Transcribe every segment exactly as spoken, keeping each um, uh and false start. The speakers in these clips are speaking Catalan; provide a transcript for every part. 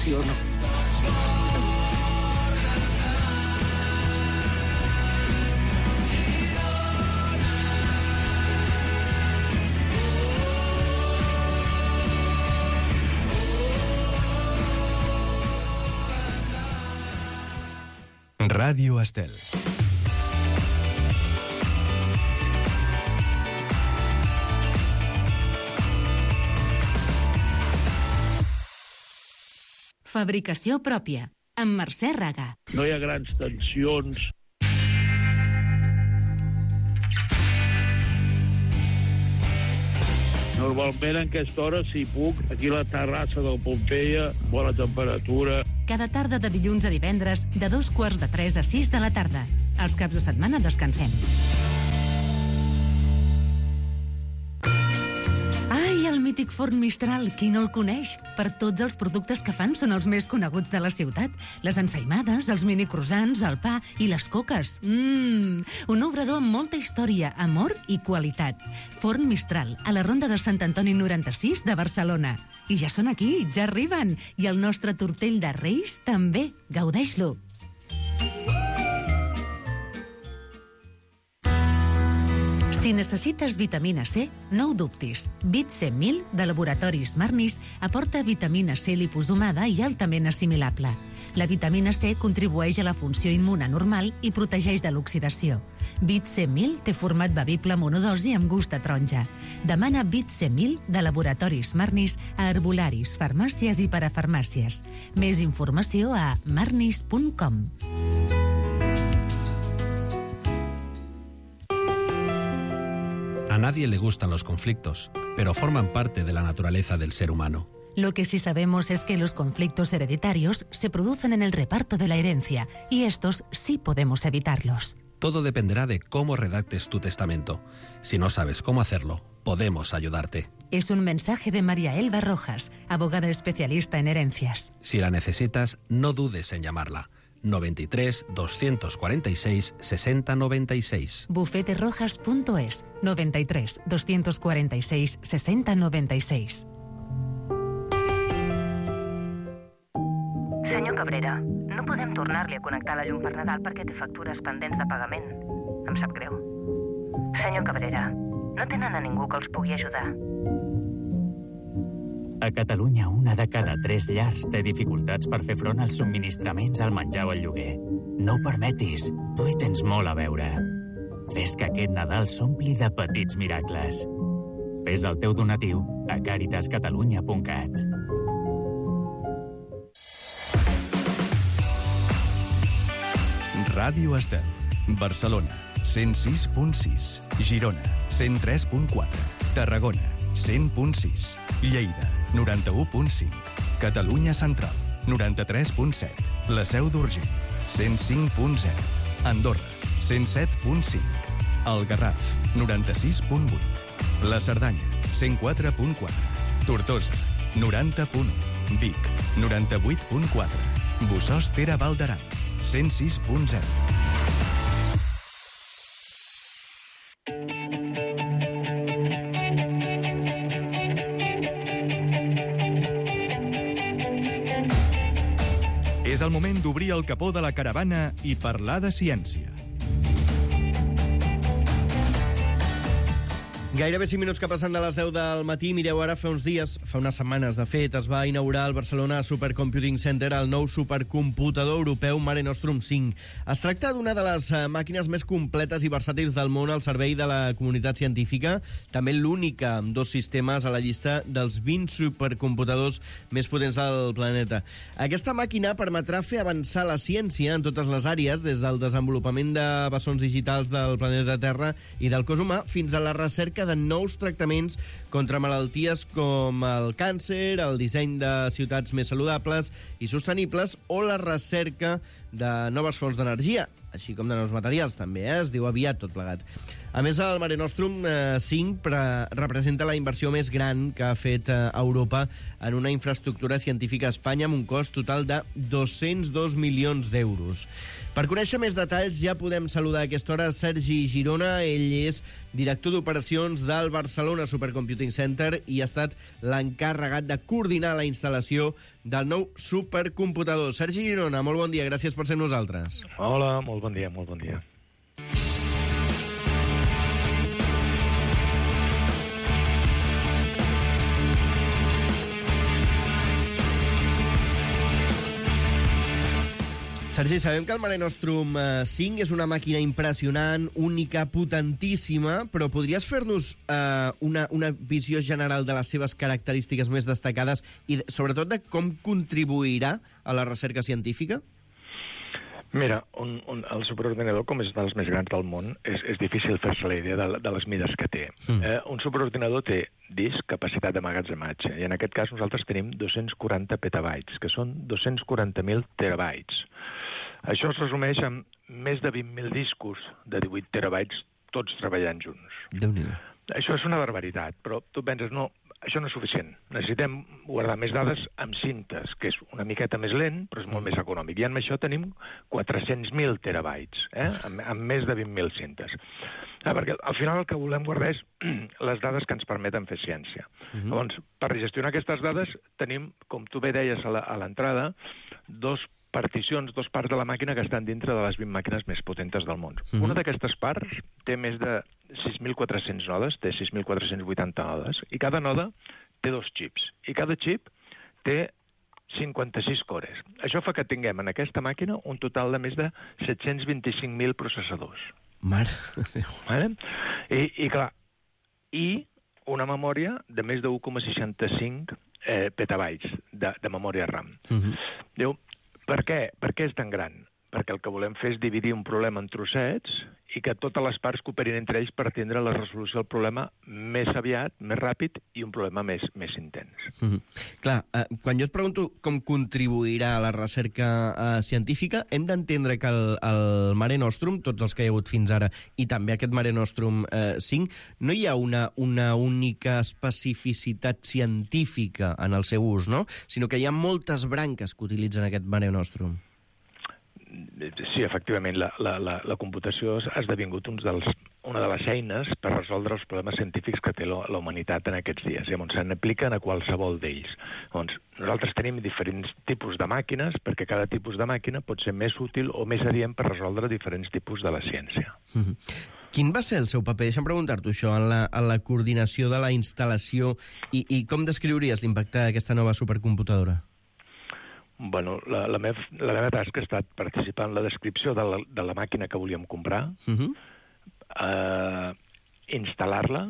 m'emociono. Ràdio Estel. Fabricació pròpia, amb Mercè Raga. No hi ha grans tensions. Normalment en aquesta hora, si puc, aquí a la terrassa del Pompeia, bona temperatura. Cada tarda de dilluns a divendres, de dos quarts de tres a sis de la tarda. Els caps de setmana descansem. Ai, el mític forn Mistral, qui no el coneix? Per tots els productes que fan són els més coneguts de la ciutat. Les ensaïmades, els mini croissants, el pa i les coques. Mmm, un obrador amb molta història, amor i qualitat. Forn Mistral, a la Ronda de Sant Antoni noranta-sis de Barcelona. I ja són aquí, ja arriben. I el nostre tortell de Reis també. Gaudeix-lo. Si necessites vitamina C, no ho dubtis. Vit C mil, de Laboratoris Marnis, aporta vitamina C liposomada i altament assimilable. La vitamina C contribueix a la funció immune normal i protegeix de l'oxidació. Vit C mil té format bevible monodosi amb gust a taronja. Demana Vit C mil de Laboratoris Marnis a herbolaris, farmàcies i parafarmàcies. Més informació a marnis punt com. A nadie le gustan los conflictos, pero forman parte de la naturaleza del ser humano. Lo que sí sabemos es que los conflictos hereditarios se producen en el reparto de la herencia, y estos sí podemos evitarlos. Todo dependerá de cómo redactes tu testamento. Si no sabes cómo hacerlo, podemos ayudarte. Es un mensaje de María Elba Rojas, abogada especialista en herencias. Si la necesitas, no dudes en llamarla. noventa y tres, doscientos cuarenta y seis, sesenta noventa y seis. bufete rojas punto es, noventa y tres, doscientos cuarenta y seis, sesenta noventa y seis. Senyor Cabrera, no podem tornar-li a connectar la llum per Nadal perquè té factures pendents de pagament. Em sap greu. Senyor Cabrera, no tenen a ningú que els pugui ajudar. A Catalunya, una de cada tres llars té dificultats per fer front als subministraments, al menjar o al lloguer. No ho permetis, tu hi tens molt a veure. Fes que aquest Nadal s'ompli de petits miracles. Fes el teu donatiu a caritas catalunya punt cat. Ràdio Estel. Barcelona, cent sis punt sis. Girona, cent tres punt quatre. Tarragona, cent punt sis. Lleida, noranta-u punt cinc. Catalunya Central, noranta-tres punt set. La Seu d'Urgell, cent cinc punt zero. Andorra, cent set punt cinc. El Garraf, noranta-sis punt vuit. La Cerdanya, cent quatre punt quatre. Tortosa, noranta punt u. Vic, noranta-vuit punt quatre. Bossòst Tere Val d'Aran, cent sis punt zero. És el moment d'obrir el capó de la caravana i parlar de ciència. Gairebé cinc minuts que passen de les deu del matí. Mireu, ara fa uns dies, fa unes setmanes, de fet, es va inaugurar al Barcelona Supercomputing Center el nou supercomputador europeu Mare Nostrum cinc. Es tracta d'una de les màquines més completes i versàtils del món al servei de la comunitat científica, també l'única amb dos sistemes a la llista dels vint supercomputadors més potents del planeta. Aquesta màquina permetrà fer avançar la ciència en totes les àrees, des del desenvolupament de bessons digitals del planeta Terra i del cos humà, fins a la recerca de nous tractaments contra malalties com el càncer, el disseny de ciutats més saludables i sostenibles o la recerca de noves fonts d'energia, així com de nous materials també, eh? Es diu aviat tot plegat. A més, el Mare Nostrum eh, cinc pre representa la inversió més gran que ha fet eh, Europa en una infraestructura científica a Espanya amb un cost total de dos-cents dos milions d'euros. Per conèixer més detalls ja podem saludar a aquesta hora Sergi Girona. Ell és director d'operacions del Barcelona Supercomputing Center i ha estat l'encarregat de coordinar la instal·lació del nou supercomputador. Sergi Girona, molt bon dia, gràcies per ser amb nosaltres. Hola, molt bon dia, molt bon dia. Sergi, sabem que el Mare Nostrum cinc és una màquina impressionant, única, potentíssima, però podries fer-nos eh, una, una visió general de les seves característiques més destacades i, sobretot, de com contribuirà a la recerca científica? Mira, un, un, el superordinador, com és dels més grans del món, és, és difícil fer-se la idea de, de les mides que té. Mm. Eh, un superordinador té disc, capacitat d'emmagatzematge, i en aquest cas nosaltres tenim dos-cents quaranta petabytes, que són dos-cents quaranta mil terabytes. Això es resumeix en més de vint mil discos de divuit terabytes, tots treballant junts. Déu-n'hi-do. Això és una barbaritat, però tu penses, no, això no és suficient. Necessitem guardar més dades amb cintes, que és una miqueta més lent, però és molt més econòmic. I amb això tenim quatre-cents mil terabytes, eh? amb, amb més de vint mil cintes. Ah, perquè al final el que volem guardar és les dades que ens permeten fer ciència. Uh-huh. Llavors, per gestionar aquestes dades tenim, com tu bé deies a l'entrada, dos particions, dos parts de la màquina que estan dintre de les vint màquines més potentes del món. Uh-huh. Una d'aquestes parts té més de sis mil quatre-cents nodes, té sis mil quatre-cents vuitanta nodes, i cada noda té dos xips. I cada xip té cinquanta-sis cores. Això fa que tinguem en aquesta màquina un total de més de set-cents vint-i-cinc mil processadors. Mare de Déu. Vale? I, I, clar, i una memòria de més de un coma seixanta-cinc eh, petabytes de, de memòria RAM. Uh-huh. Diu, per què? Per què és tan gran? Perquè el que volem fer és dividir un problema en trossets i que totes les parts cooperin entre ells per atendre la resolució del problema més aviat, més ràpid i un problema més, més intens. Mm-hmm. Clar, eh, quan jo et pregunto com contribuirà a la recerca eh, científica, hem d'entendre que el, el Mare Nostrum, tots els que hi ha hagut fins ara, i també aquest Mare Nostrum eh, cinc, no hi ha una, una única especificitat científica en el seu ús, no? Sinó que hi ha moltes branques que utilitzen aquest Mare Nostrum. Sí, efectivament, la, la, la, la computació ha esdevingut uns dels, una de les eines per resoldre els problemes científics que té la, la humanitat en aquests dies. Llavors, se n'apliquen a qualsevol d'ells. Doncs, nosaltres tenim diferents tipus de màquines, perquè cada tipus de màquina pot ser més útil o més adient per resoldre diferents tipus de la ciència. Mm-hmm. Quin va ser el seu paper? Deixa'm preguntar-t'ho això, en la, en la coordinació de la instal·lació i, i com descriuries l'impacte d'aquesta nova supercomputadora? Bueno, la, la, meva, la meva tasca ha estat participar en la descripció de la, de la màquina que volíem comprar, uh-huh. eh, instal·lar-la,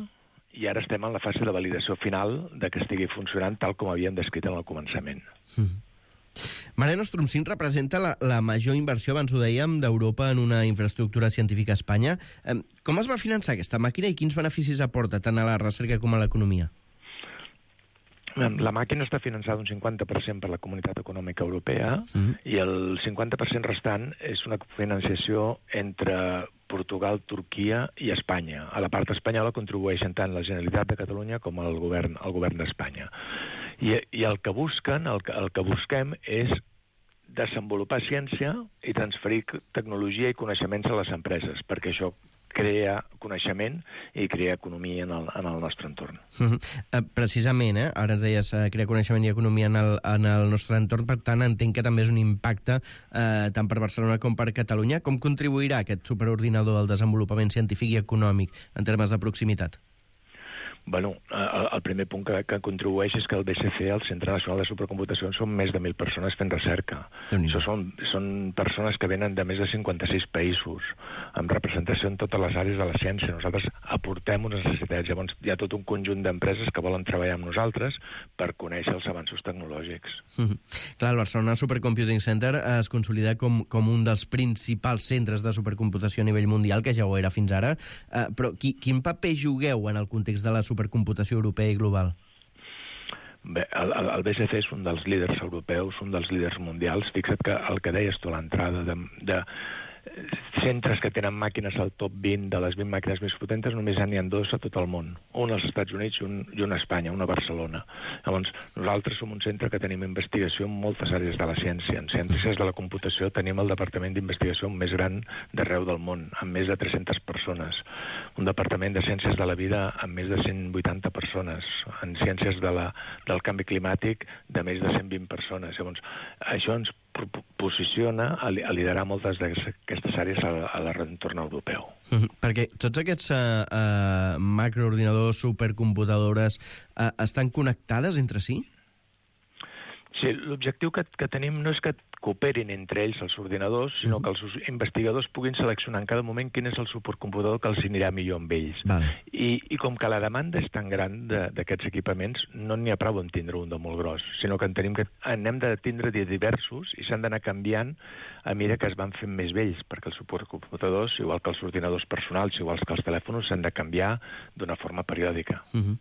i ara estem en la fase de validació final de que estigui funcionant tal com havíem descrit en el començament. Uh-huh. Mare Nostrum cinc representa la, la major inversió, abans ho dèiem, d'Europa en una infraestructura científica a Espanya. Eh, com es va finançar aquesta màquina i quins beneficis aporta tant a la recerca com a l'economia? La màquina està finançada un cinquanta per cent per la Comunitat Econòmica Europea mm. i el cinquanta per cent restant és una financiació entre Portugal, Turquia i Espanya. A la part espanyola contribueixen tant la Generalitat de Catalunya com el govern, el govern d'Espanya. I, I el que busquen, el que, el que busquem és desenvolupar ciència i transferir tecnologia i coneixements a les empreses, perquè això crea coneixement i crea economia en el, en el nostre entorn. Uh-huh. Precisament, eh? Ara ens deies uh, crear coneixement i economia en el, en el nostre entorn, per tant entenc que també és un impacte eh, tant per Barcelona com per Catalunya. Com contribuirà aquest superordinador al desenvolupament científic i econòmic en termes de proximitat? Bueno, el, el primer punt que, que contribueix és que el B C C, el Centre Nacional de Supercomputació, són més de mil persones fent recerca. Això són, són persones que venen de més de cinquanta-sis països, amb representació en totes les àrees de la ciència. Nosaltres aportem unes necessitats. Llavors hi ha tot un conjunt d'empreses que volen treballar amb nosaltres per conèixer els avanços tecnològics. Mm-hmm. Clar, el Barcelona Supercomputing Center es consolida com, com un dels principals centres de supercomputació a nivell mundial, que ja ho era fins ara. Uh, però qui, quin paper jugueu en el context de la supercomputació supercomputació europea i global? Bé, el, el B C C és un dels líders europeus, un dels líders mundials. Fixa't que el que deies tu a l'entrada de, de centres que tenen màquines al top vint de les vint màquines més potentes, només n'hi ha dos a tot el món. Un als Estats Units i un, i un a Espanya, un a Barcelona. Llavors, nosaltres som un centre que tenim investigació en moltes àrees de la ciència. En ciències de la computació tenim el departament d'investigació més gran d'arreu del món, amb més de tres-centes persones. Un departament de ciències de la vida amb més de cent vuitanta persones. En ciències de la, del canvi climàtic de més de cent vint persones. Llavors, això ens posiciona a liderar moltes d'aquestes àrees a l'entorn europeu. Mm-hmm. Perquè tots aquests uh, uh, macroordinadors, supercomputadores, uh, estan connectades entre si? Sí, l'objectiu que, que tenim no és que cooperin entre ells els ordinadors, sinó que els investigadors puguin seleccionar en cada moment quin és el supercomputador que els anirà millor amb ells. Vale. I, I com que la demanda és tan gran d'aquests equipaments, no n'hi ha prou en tindre un de molt gros, sinó que en tenim que n'hem de tindre de diversos i s'han d'anar canviant a mesura que es van fent més vells, perquè els supercomputadors, igual que els ordinadors personals, igual que els telèfons, s'han de canviar d'una forma periòdica. Uh-huh.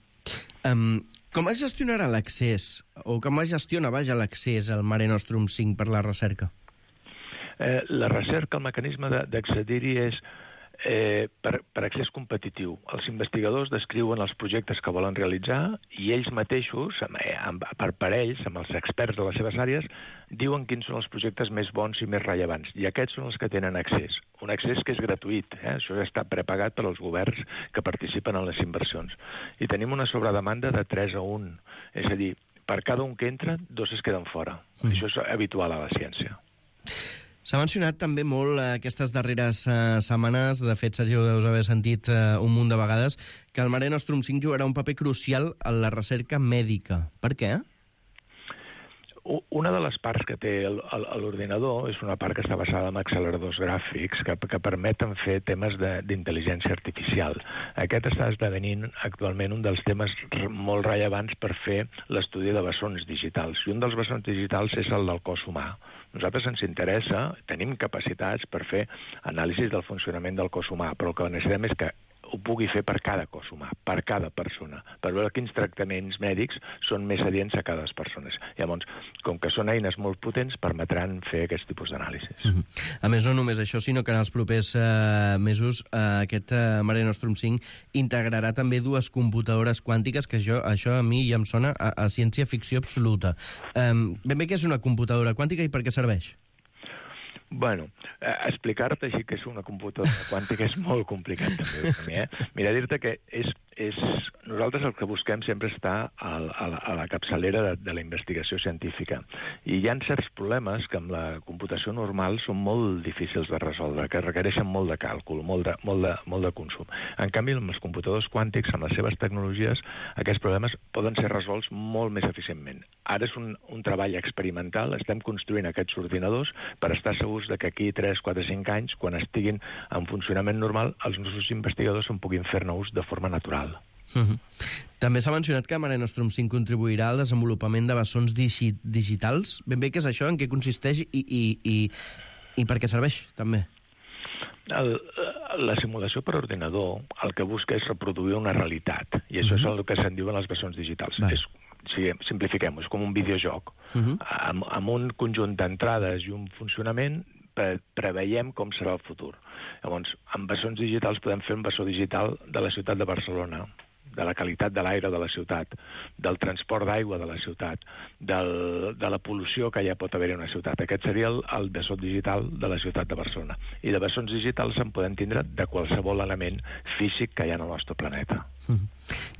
Um, com es gestionarà l'accés, o com es gestiona, vaja, l'accés al Mare Nostrum cinc per la recerca? Eh, la recerca, el mecanisme d'accedir-hi és eh, per, per accés competitiu. Els investigadors descriuen els projectes que volen realitzar i ells mateixos, amb, amb, per parells, amb els experts de les seves àrees, diuen quins són els projectes més bons i més rellevants. I aquests són els que tenen accés. Un accés que és gratuït. Eh? Això ja està prepagat per als governs que participen en les inversions. I tenim una sobredemanda de tres a un. És a dir, per cada un que entra, dos es queden fora. Mm. Això és habitual a la ciència. S'ha mencionat també molt eh, aquestes darreres eh, setmanes, de fet, Sergi, ho deus haver sentit eh, un munt de vegades, que el Mare Nostrum cinc jugarà un paper crucial en la recerca mèdica. Per què? Una de les parts que té l'ordinador és una part que està basada en acceleradors gràfics que, que permeten fer temes d'intel·ligència artificial. Aquest està esdevenint actualment un dels temes molt rellevants per fer l'estudi de bessons digitals. I un dels bessons digitals és el del cos humà. Nosaltres ens interessa, tenim capacitats per fer anàlisis del funcionament del cos humà, però el que necessitem és que ho pugui fer per cada cos humà, per cada persona, per veure quins tractaments mèdics són més adients a cada persona. Llavors, com que són eines molt potents, permetran fer aquest tipus d'anàlisis. Mm-hmm. A més, no només això, sinó que en els propers eh, mesos eh, aquest eh, Mare Nostrum cinc integrarà també dues computadores quàntiques, que això, això a mi ja em sona a, a ciència-ficció absoluta. Eh, ben bé què és una computadora quàntica i per què serveix? Bueno, eh, explicar-te així que és una computadora quàntica és molt complicat també per mi, eh? Mira, dir-te que és, és... nosaltres el que busquem sempre està a, a, la, a la capçalera de, de la investigació científica. I hi ha certs problemes que amb la computació normal són molt difícils de resoldre, que requereixen molt de càlcul, molt de, molt de, molt de consum. En canvi, amb els computadors quàntics, amb les seves tecnologies, aquests problemes poden ser resolts molt més eficientment. Ara és un, un treball experimental, estem construint aquests ordinadors per estar segurs de que aquí tres, quatre, cinc anys, quan estiguin en funcionament normal, els nostres investigadors en puguin fer-ne ús de forma natural. Uh-huh. També s'ha mencionat que Mare Nostrum cinc contribuirà al desenvolupament de bessons digi digitals. Ben bé, què és això? En què consisteix i, i, i, i per què serveix, també? El, la simulació per ordinador el que busca és reproduir una realitat, i això uh-huh. és el que se'n diuen els bessons digitals. És, si simplifiquem-ho, és com un videojoc. Uh-huh. amb, amb un conjunt d'entrades i un funcionament pre preveiem com serà el futur. Llavors, amb bessons digitals podem fer un bessó digital de la ciutat de Barcelona, de la qualitat de l'aire de la ciutat, del transport d'aigua de la ciutat, del, de la pol·lució que ja pot haver-hi en una ciutat. Aquest seria el, el bessó digital de la ciutat de Barcelona. I de bessons digitals en podem tindre de qualsevol element físic que hi ha en el nostre planeta. Mm.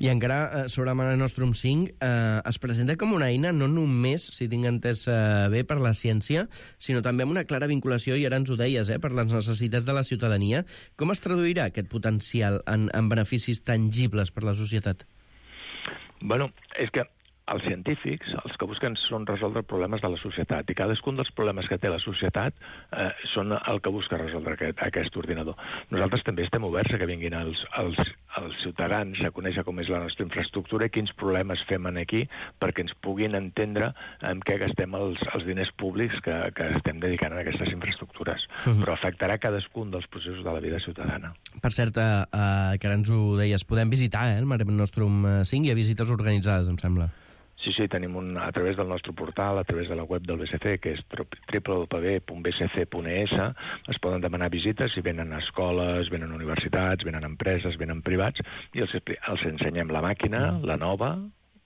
I encara, eh, sobre Mare Nostrum cinc, eh, es presenta com una eina no només, si tinc entès eh, bé, per la ciència, sinó també amb una clara vinculació, i ara ens ho deies, eh, per les necessitats de la ciutadania. Com es traduirà aquest potencial en, en beneficis tangibles per la societat? Bueno, és que els científics, els que busquen són resoldre problemes de la societat, i cadascun dels problemes que té la societat eh, són el que busca resoldre aquest, aquest ordinador. Nosaltres també estem oberts a que vinguin els, els, els ciutadans a conèixer com és la nostra infraestructura i quins problemes fem aquí perquè ens puguin entendre en què gastem els, els diners públics que, que estem dedicant a aquestes infraestructures. Uh-huh. Però afectarà cadascun dels processos de la vida ciutadana. Per cert, eh, que ara ens ho deies, podem visitar eh, el Mare Nostrum cinc, hi ha visites organitzades, em sembla. Sí, sí, tenim un, a través del nostre portal, a través de la web del B C C, que és w w w punt b c c punt e s, es poden demanar visites i venen a escoles, venen a universitats, venen a empreses, venen privats, i els, els ensenyem la màquina, la nova,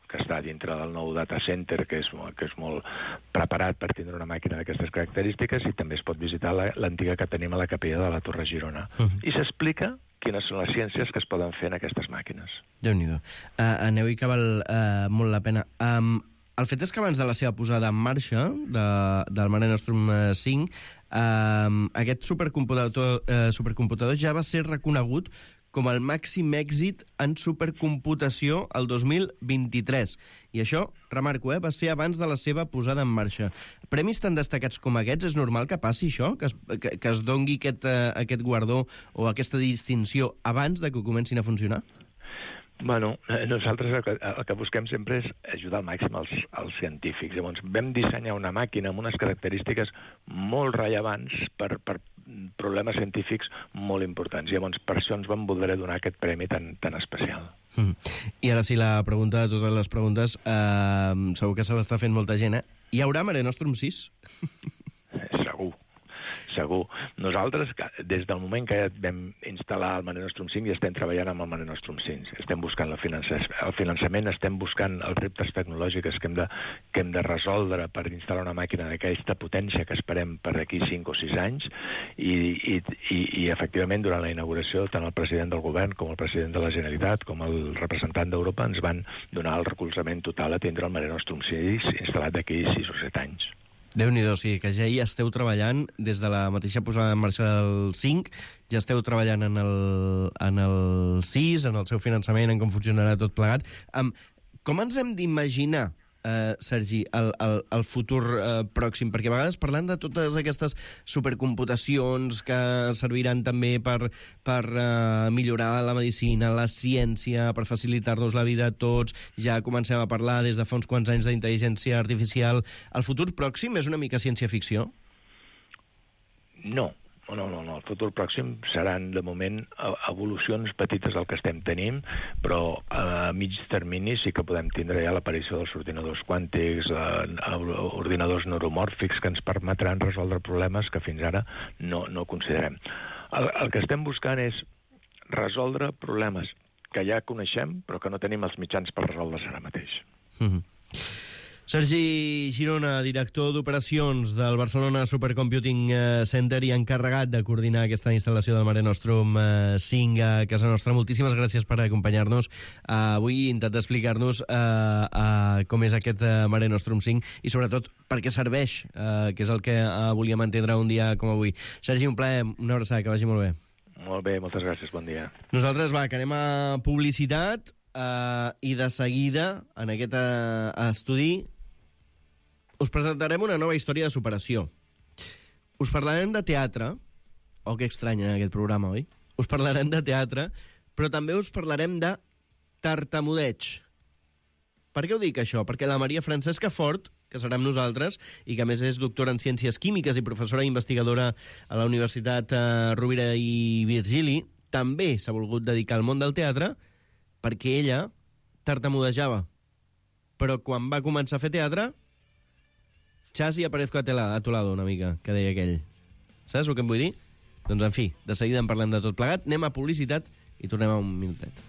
que està dintre del nou data center, que és, que és molt preparat per tindre una màquina d'aquestes característiques, i també es pot visitar l'antiga que tenim a la capella de la Torre Girona. Uh-huh. I s'explica quines són les ciències que es poden fer en aquestes màquines. Déu-n'hi-do. Uh, aneu-hi que val uh, molt la pena. Um, el fet és que abans de la seva posada en marxa, de, del Mare Nostrum cinc, uh, aquest supercomputador, uh, supercomputador ja va ser reconegut com el màxim èxit en supercomputació el dos mil vint-i-tres. I això, remarco, eh, va ser abans de la seva posada en marxa. Premis tan destacats com aquests, és normal que passi això? Que es, que, que es dongui aquest, uh, aquest guardó o aquesta distinció abans de que comencin a funcionar? Bueno, nosaltres el que, el que busquem sempre és ajudar al màxim als, als científics. Llavors, vam dissenyar una màquina amb unes característiques molt rellevants per, per problemes científics molt importants. I llavors, per això ens vam voler donar aquest premi tan, tan especial. Mm. I ara sí, la pregunta de totes les preguntes, eh, segur que se l'està fent molta gent, eh? Hi haurà Mare Nostrum sis? Segur. Segur. Nosaltres, des del moment que vam instal·lar el Mare Nostrum cinc, ja estem treballant amb el Mare Nostrum cinc. Estem buscant el finançament, estem buscant els reptes tecnològics que hem de, que hem de resoldre per instal·lar una màquina d'aquesta potència que esperem per aquí cinc o sis anys, i, i, i, i efectivament, durant la inauguració, tant el president del govern com el president de la Generalitat com el representant d'Europa ens van donar el recolzament total a tindre el Mare Nostrum sis instal·lat d'aquí sis o set anys. Déu-n'hi-do, sí, que ja hi esteu treballant des de la mateixa posada en marxa del cinc, ja esteu treballant en el, en el sis, en el seu finançament, en com funcionarà tot plegat. Um, com ens hem d'imaginar, uh, Sergi, el, el, el futur uh, pròxim? Perquè a vegades parlant de totes aquestes supercomputacions que serviran també per, per uh, millorar la medicina, la ciència, per facilitar-nos la vida a tots, ja comencem a parlar des de fa uns quants anys d'intel·ligència artificial. El futur pròxim és una mica ciència-ficció? No. No, no, no. El futur pròxim seran, de moment, evolucions petites del que estem tenint, però a mig termini sí que podem tindre ja l'aparició dels ordinadors quàntics, eh, ordinadors neuromòrfics que ens permetran resoldre problemes que fins ara no, no considerem. El, el que estem buscant és resoldre problemes que ja coneixem, però que no tenim els mitjans per resoldre's ara mateix. Mm-hmm. Sergi Girona, director d'operacions del Barcelona Supercomputing Center i encarregat de coordinar aquesta instal·lació del Mare Nostrum cinc a casa nostra. Moltíssimes gràcies per acompanyar-nos. Uh, avui intentar explicar-nos uh, uh, com és aquest uh, Mare Nostrum cinc i sobretot per què serveix, uh, que és el que uh, volíem entendre un dia com avui. Sergi, un plaer, una abraçada, que vagi molt bé. Molt bé, moltes gràcies, bon dia. Nosaltres, va, que anem a publicitat uh, i de seguida, en aquest uh, estudi, us presentarem una nova història de superació. Us parlarem de teatre. Oh, que estrany en aquest programa, oi? Us parlarem de teatre, però també us parlarem de tartamudeig. Per què ho dic, això? Perquè la Maria Francesca Fort, que serà amb nosaltres, i que a més és doctora en Ciències Químiques i professora investigadora a la Universitat eh, Rovira i Virgili, també s'ha volgut dedicar al món del teatre perquè ella tartamudejava. Però quan va començar a fer teatre, Chas y aparezco a, tela, a tu lado una mica, que deia aquell. Saps el que em vull dir? Doncs, en fi, de seguida en parlem de tot plegat, anem a publicitat i tornem a un minutet.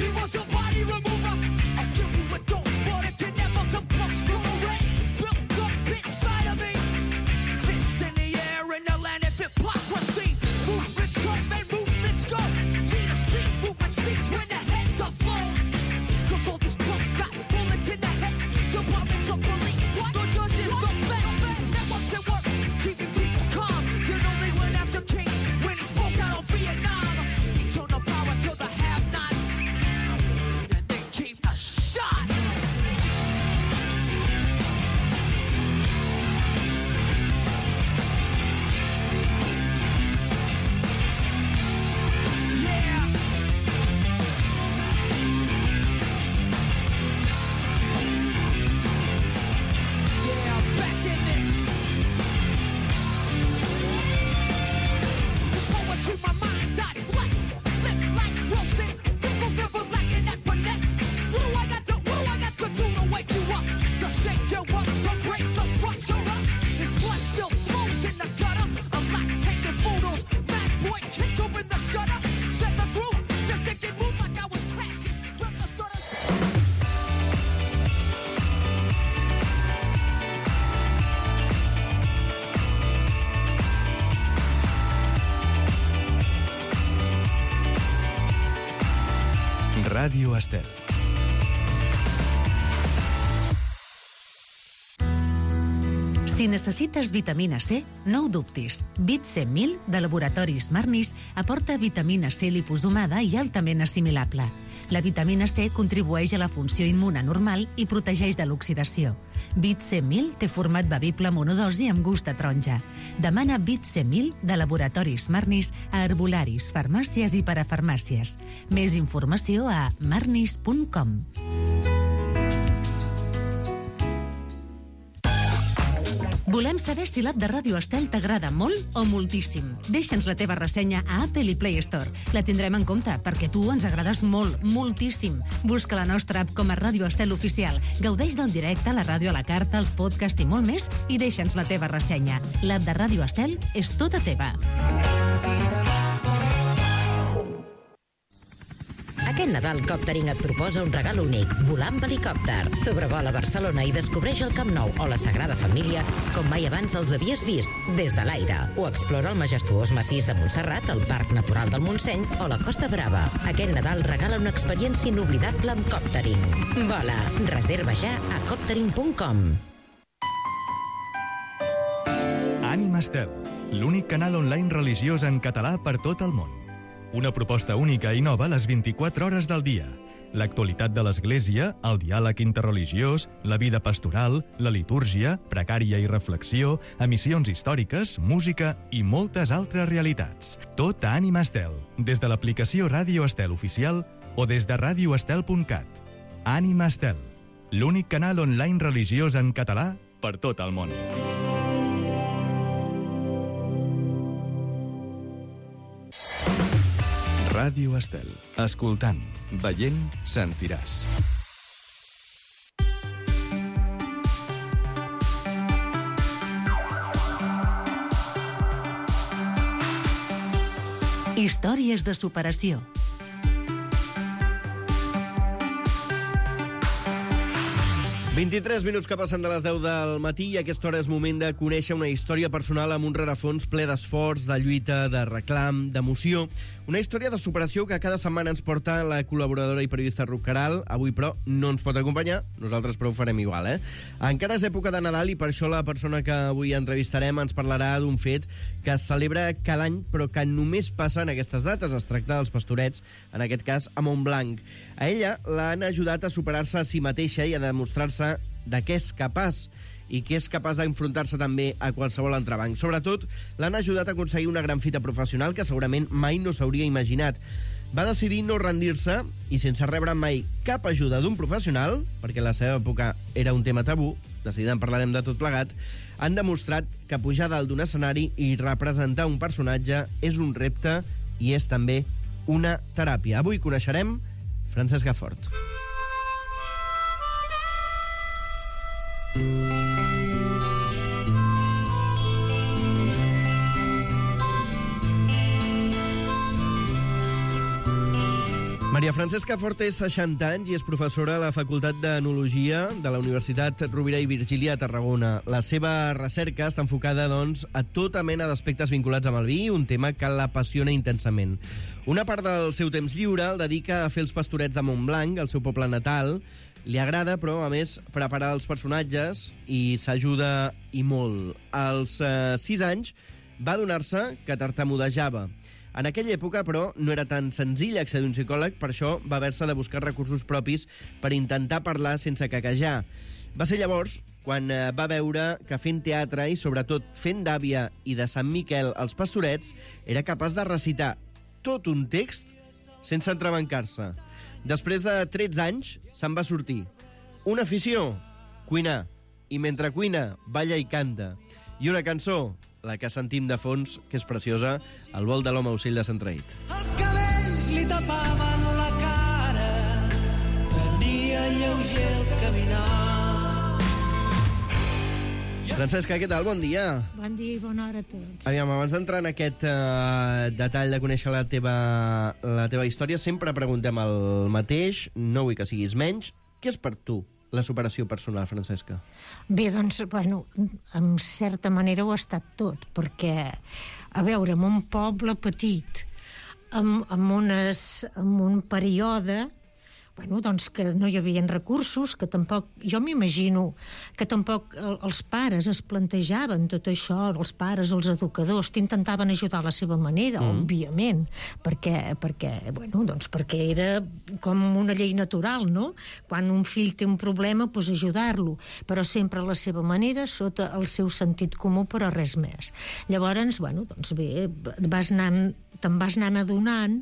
He was a body remover. Ràdio Estel. Si necessites vitamina C, no ho dubtis. Vit C mil de Laboratoris Marnis aporta vitamina C liposomada i altament assimilable. La vitamina C contribueix a la funció immune normal i protegeix de l'oxidació. Vit C mil té format bevible monodosi amb gust a taronja. Demana Vit C mil de Laboratoris Marnis a herbolaris, farmàcies i parafarmàcies. Més informació a marnis punt com. Volem saber si l'app de Ràdio Estel t'agrada molt o moltíssim. Deixa'ns la teva ressenya a Apple i Play Store. La tindrem en compte, perquè tu ens agrades molt, moltíssim. Busca la nostra app com a Ràdio Estel Oficial. Gaudeix del directe, la ràdio a la carta, els podcasts i molt més, i deixa'ns la teva ressenya. L'app de Ràdio Estel és tota teva. Aquest Nadal Coptering et proposa un regal únic, volar amb helicòpter. Sobrevola Barcelona i descobreix el Camp Nou o la Sagrada Família com mai abans els havies vist, des de l'aire. O explora el majestuós massís de Montserrat, el Parc Natural del Montseny o la Costa Brava. Aquest Nadal regala una experiència inoblidable amb Coptering. Vola, reserva ja a coptering punt com. Ànima Estel, l'únic canal online religiós en català per tot el món. Una proposta única i nova a les vint-i-quatre hores del dia. L'actualitat de l'Església, el diàleg interreligiós, la vida pastoral, la litúrgia, pregària i reflexió, emissions històriques, música i moltes altres realitats. Tot a Ànima Estel, des de l'aplicació Ràdio Estel Oficial o des de radio estel punt cat. Ànima Estel, l'únic canal online religiós en català per tot el món. Ràdio Estel. Escoltant, veient, sentiràs. Històries de superació. vint-i-tres minuts que passen de les deu del matí i a aquesta hora és moment de conèixer una història personal amb un rerefons ple d'esforç, de lluita, de reclam, d'emoció. Una història de superació que cada setmana ens porta la col·laboradora i periodista Ruth Caral. Avui, però, no ens pot acompanyar. Nosaltres, però, ho farem igual, eh? Encara és època de Nadal i per això la persona que avui entrevistarem ens parlarà d'un fet que es celebra cada any, però que només passa en aquestes dates. Es tracta dels Pastorets, en aquest cas a Montblanc. A ella l'han ajudat a superar-se a si mateixa i a demostrar-se de què és capaç i que és capaç d'enfrontar-se també a qualsevol entrebanc. Sobretot, l'han ajudat a aconseguir una gran fita professional que segurament mai no s'hauria imaginat. Va decidir no rendir-se i, sense rebre mai cap ajuda d'un professional, perquè a la seva època era un tema tabú, de seguida en parlarem de tot plegat, han demostrat que pujar dalt d'un escenari i representar un personatge és un repte i és també una teràpia. Avui coneixerem Francesca Fort. Maria Francesca Fort té seixanta anys i és professora a la Facultat d'Enologia de la Universitat Rovira i Virgili a Tarragona. La seva recerca està enfocada, doncs, a tota mena d'aspectes vinculats amb el vi, un tema que l'apassiona intensament. Una part del seu temps lliure el dedica a fer els pastorets de Montblanc, el seu poble natal. Li agrada, però, a més, preparar els personatges i s'ajuda i molt. Als eh, sis anys va adonar-se que tartamudejava. En aquella època, però, no era tan senzill accedir a un psicòleg, per això va haver-se de buscar recursos propis per intentar parlar sense caquejar. Va ser llavors quan eh, va veure que fent teatre i, sobretot, fent d'àvia i de Sant Miquel als Pastorets, era capaç de recitar tot un text sense entrebancar-se. Després de tretze anys, se'n va sortir. Una afició, cuinar. I mentre cuina, balla i canta. I una cançó, la que sentim de fons, que és preciosa, El vol de l'home ocell de Sant Traït. Els cabells li tapaven la cara, tenia lleuger el caminar. Francesca, què tal? Bon dia. Bon dia i bona hora a tots. Aviam, abans d'entrar en aquest uh, detall de conèixer la teva, la teva història, sempre preguntem el mateix, no vull que siguis menys. Què és per tu la superació personal, Francesca? Bé, doncs, bueno, en certa manera ho ha estat tot, perquè, a veure, en un poble petit, amb, amb, unes, amb un període bueno, doncs que no hi havia recursos, que tampoc, jo m'imagino que tampoc els pares es plantejaven tot això, els pares, els educadors, t'intentaven ajudar a la seva manera, mm. òbviament, perquè, perquè, bueno, doncs perquè era com una llei natural, no? Quan un fill té un problema, doncs ajudar-lo, però sempre a la seva manera, sota el seu sentit comú, però res més. Llavors, bueno, doncs bé, vas anant, te'n vas anant adonant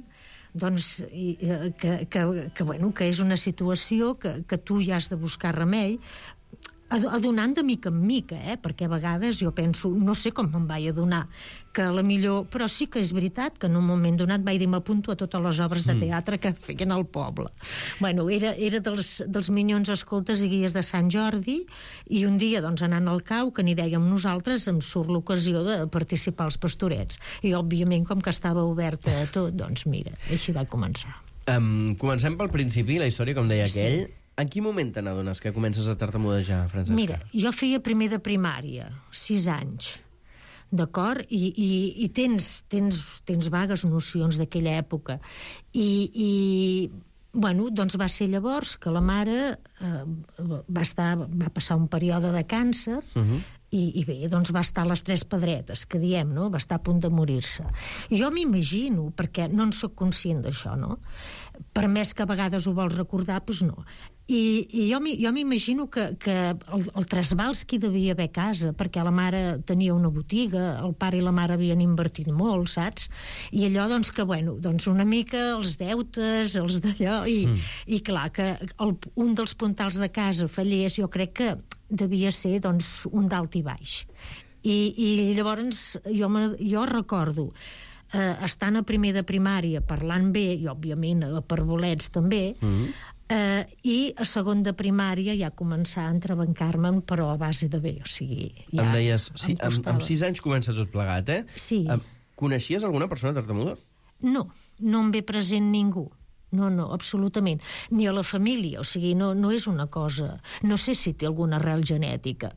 doncs, i, que, que, que, bueno, que és una situació que, que tu ja has de buscar remei, adonant de mica en mica, eh? Perquè a vegades jo penso, no sé com me'n vaig adonar, que a la millor... Però sí que és veritat que en un moment donat vaig dir m'apunto a totes les obres de teatre que feien al poble. Bueno, era, era dels, dels Minyons Escoltes i Guies de Sant Jordi, i un dia, doncs, anant al cau, que n'hi dèiem nosaltres, em surt l'ocasió de participar als Pastorets. I, òbviament, com que estava oberta a tot, doncs, mira, així va començar. Um, comencem pel principi, la història, com deia aquell. Sí. En quin moment te n'adones que comences a tartamudejar, Francesca? Mira, jo feia primer de primària, sis anys, d'acord? I, i, i tens, tens, tens vagues nocions d'aquella època. I, i, bueno, doncs va ser llavors que la mare eh, va, estar, va passar un període de càncer, uh-huh. I, i bé, doncs va estar a les tres pedretes, que diem, no? Va estar a punt de morir-se. I jo m'imagino, perquè no en soc conscient d'això, no? Per més que a vegades ho vols recordar, doncs no. I, i jo m'imagino que, que el, el trasbals que hi devia haver a casa, perquè la mare tenia una botiga, el pare i la mare havien invertit molt, saps? I allò, doncs, que, bueno, doncs una mica els deutes, els d'allò, i, mm. i clar, que el, un dels puntals de casa fallés, jo crec que devia ser, doncs, un dalt i baix. I, i llavors jo, me, jo recordo eh, estant a primer de primària, parlant bé, i òbviament per bolets també, mm-hmm. eh, i a segon de primària ja començar a entrebancar-me'n, però a base de bé, o sigui... Ja em deies, sí, em amb, amb sis anys comença tot plegat, eh? Sí. Eh, coneixies alguna persona tartamuda? No, no em ve present ningú. No, no, absolutament. Ni a la família, o sigui, no, no és una cosa... No sé si té alguna arrel genètica,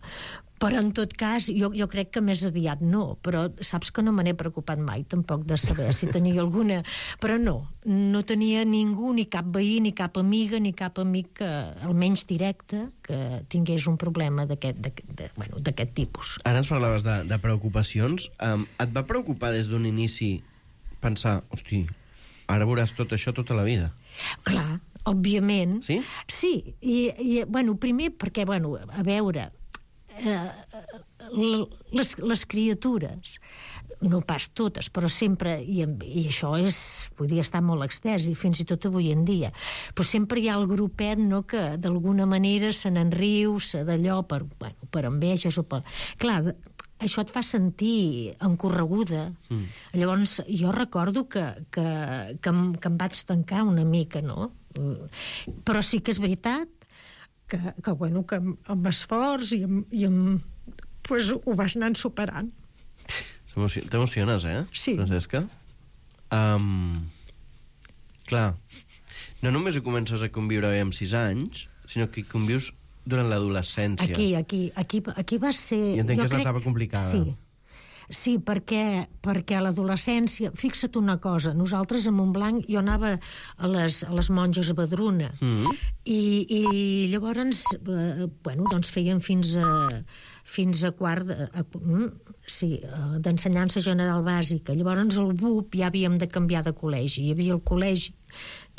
però en tot cas, jo, jo crec que més aviat no, però saps que no me n'he preocupat mai, tampoc, de saber si tenia alguna... Però no, no tenia ningú, ni cap veí, ni cap amiga, ni cap amic, que, almenys directe, que tingués un problema d'aquest bueno, d'aquest tipus. Ara ens parlaves de, de preocupacions. Um, et va preocupar des d'un inici pensar, hosti, ara veuràs tot això tota la vida? Clar, òbviament. Sí? Sí, i, i bueno, primer perquè, bueno, a veure, eh, les, les criatures, no pas totes, però sempre, i, i això és, vull dir, està molt extès, i fins i tot avui en dia, però sempre hi ha el grupet, no?, que d'alguna manera se n'enriu, se d'allò, per, bueno, per enveges o per... Clar, això et fa sentir encorreguda. Mm. Llavors, jo recordo que, que, que, em, que em vaig tancar una mica, no? Però sí que és veritat que, que, bueno, que amb, amb esforç i amb, i amb, pues, ho vas anant superant. T'emociones, eh, sí. Francesca? Um, clar, no només hi comences a conviure amb sis anys, sinó que hi convius durant l'adolescència. Aquí, aquí, aquí, aquí va ser... I entenc que és l'etapa complicada. Sí, sí, perquè, perquè a l'adolescència... Fixa't una cosa, nosaltres a Montblanc, jo anava a les, a les monges Badruna, mm-hmm. i, i llavors, eh, bueno, doncs feien fins a, fins a quart... A, a, sí, d'ensenyança general bàsica. Llavors el B U P ja havíem de canviar de col·legi. Hi havia el col·legi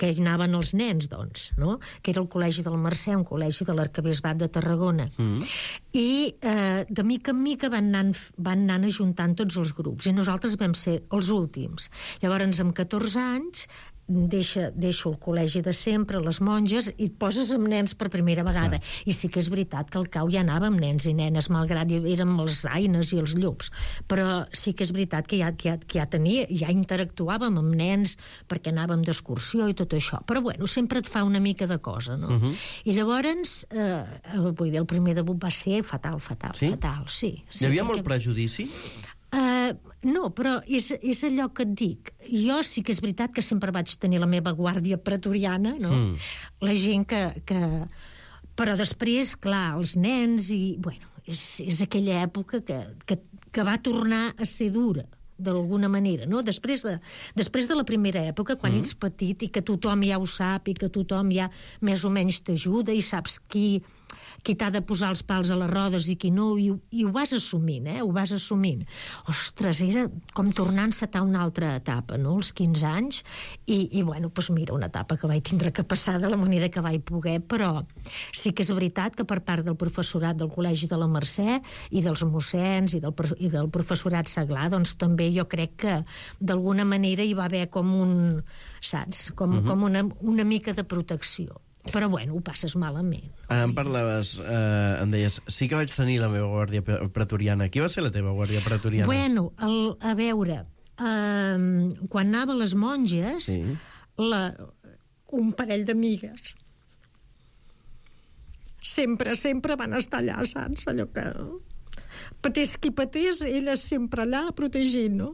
que hi anaven els nens, doncs, no? Que era el Col·legi del Mercè, un col·legi de l'Arquebisbat de Tarragona. Mm. I eh, de mica en mica van anant, van anant ajuntant tots els grups, i nosaltres vam ser els últims. Llavors, amb catorze anys, deixa, deixo el col·legi de sempre, les monges, i et poses amb nens per primera vegada. Clar. I sí que és veritat que al cau ja anava amb nens i nenes, malgrat érem els aines i els llops. Però sí que és veritat que ja, que ja, que ja tenia, ja interactuàvem amb nens perquè anàvem d'excursió i tot això. Però bueno, sempre et fa una mica de cosa, no? Uh-huh. I llavors, eh, vull dir, el primer debut va ser fatal, fatal, sí? fatal. Sí, sí, Hi havia perquè... molt prejudici? Uh, no, però és, és allò que et dic. Jo sí que és veritat que sempre vaig tenir la meva guàrdia pretoriana, no? Mm. La gent que, que... Però després, clar, els nens i... Bueno, és, és aquella època que, que, que va tornar a ser dura. d'alguna manera, no? Després de, després de la primera època, quan Mm. ets petit i que tothom ja ho sap i que tothom ja més o menys t'ajuda i saps qui, qui t'ha de posar els pals a les rodes i qui no, i, i ho vas assumint, eh? Ho vas assumint. Ostres, era com tornar a encetar una altra etapa, no?, als quinze anys, i, i bueno, doncs mira, una etapa que vaig tindre que passar de la manera que vaig poder, però sí que és veritat que per part del professorat del Col·legi de la Mercè i dels mossens i del, i del professorat Seglar, doncs també jo crec que d'alguna manera hi va haver com un, saps, com, Mhm. com una, una mica de protecció. Però, bueno, ho passes malament. Ara em parlaves, eh, em deies, sí que vaig tenir la meva guàrdia pre- pretoriana. Qui va ser la teva guàrdia pretoriana? Bueno, el, a veure, eh, quan anava a les monges, Sí. la, un parell d'amigues sempre, sempre van estar allà, saps? Allò que patés qui patés, elles sempre allà protegint, no?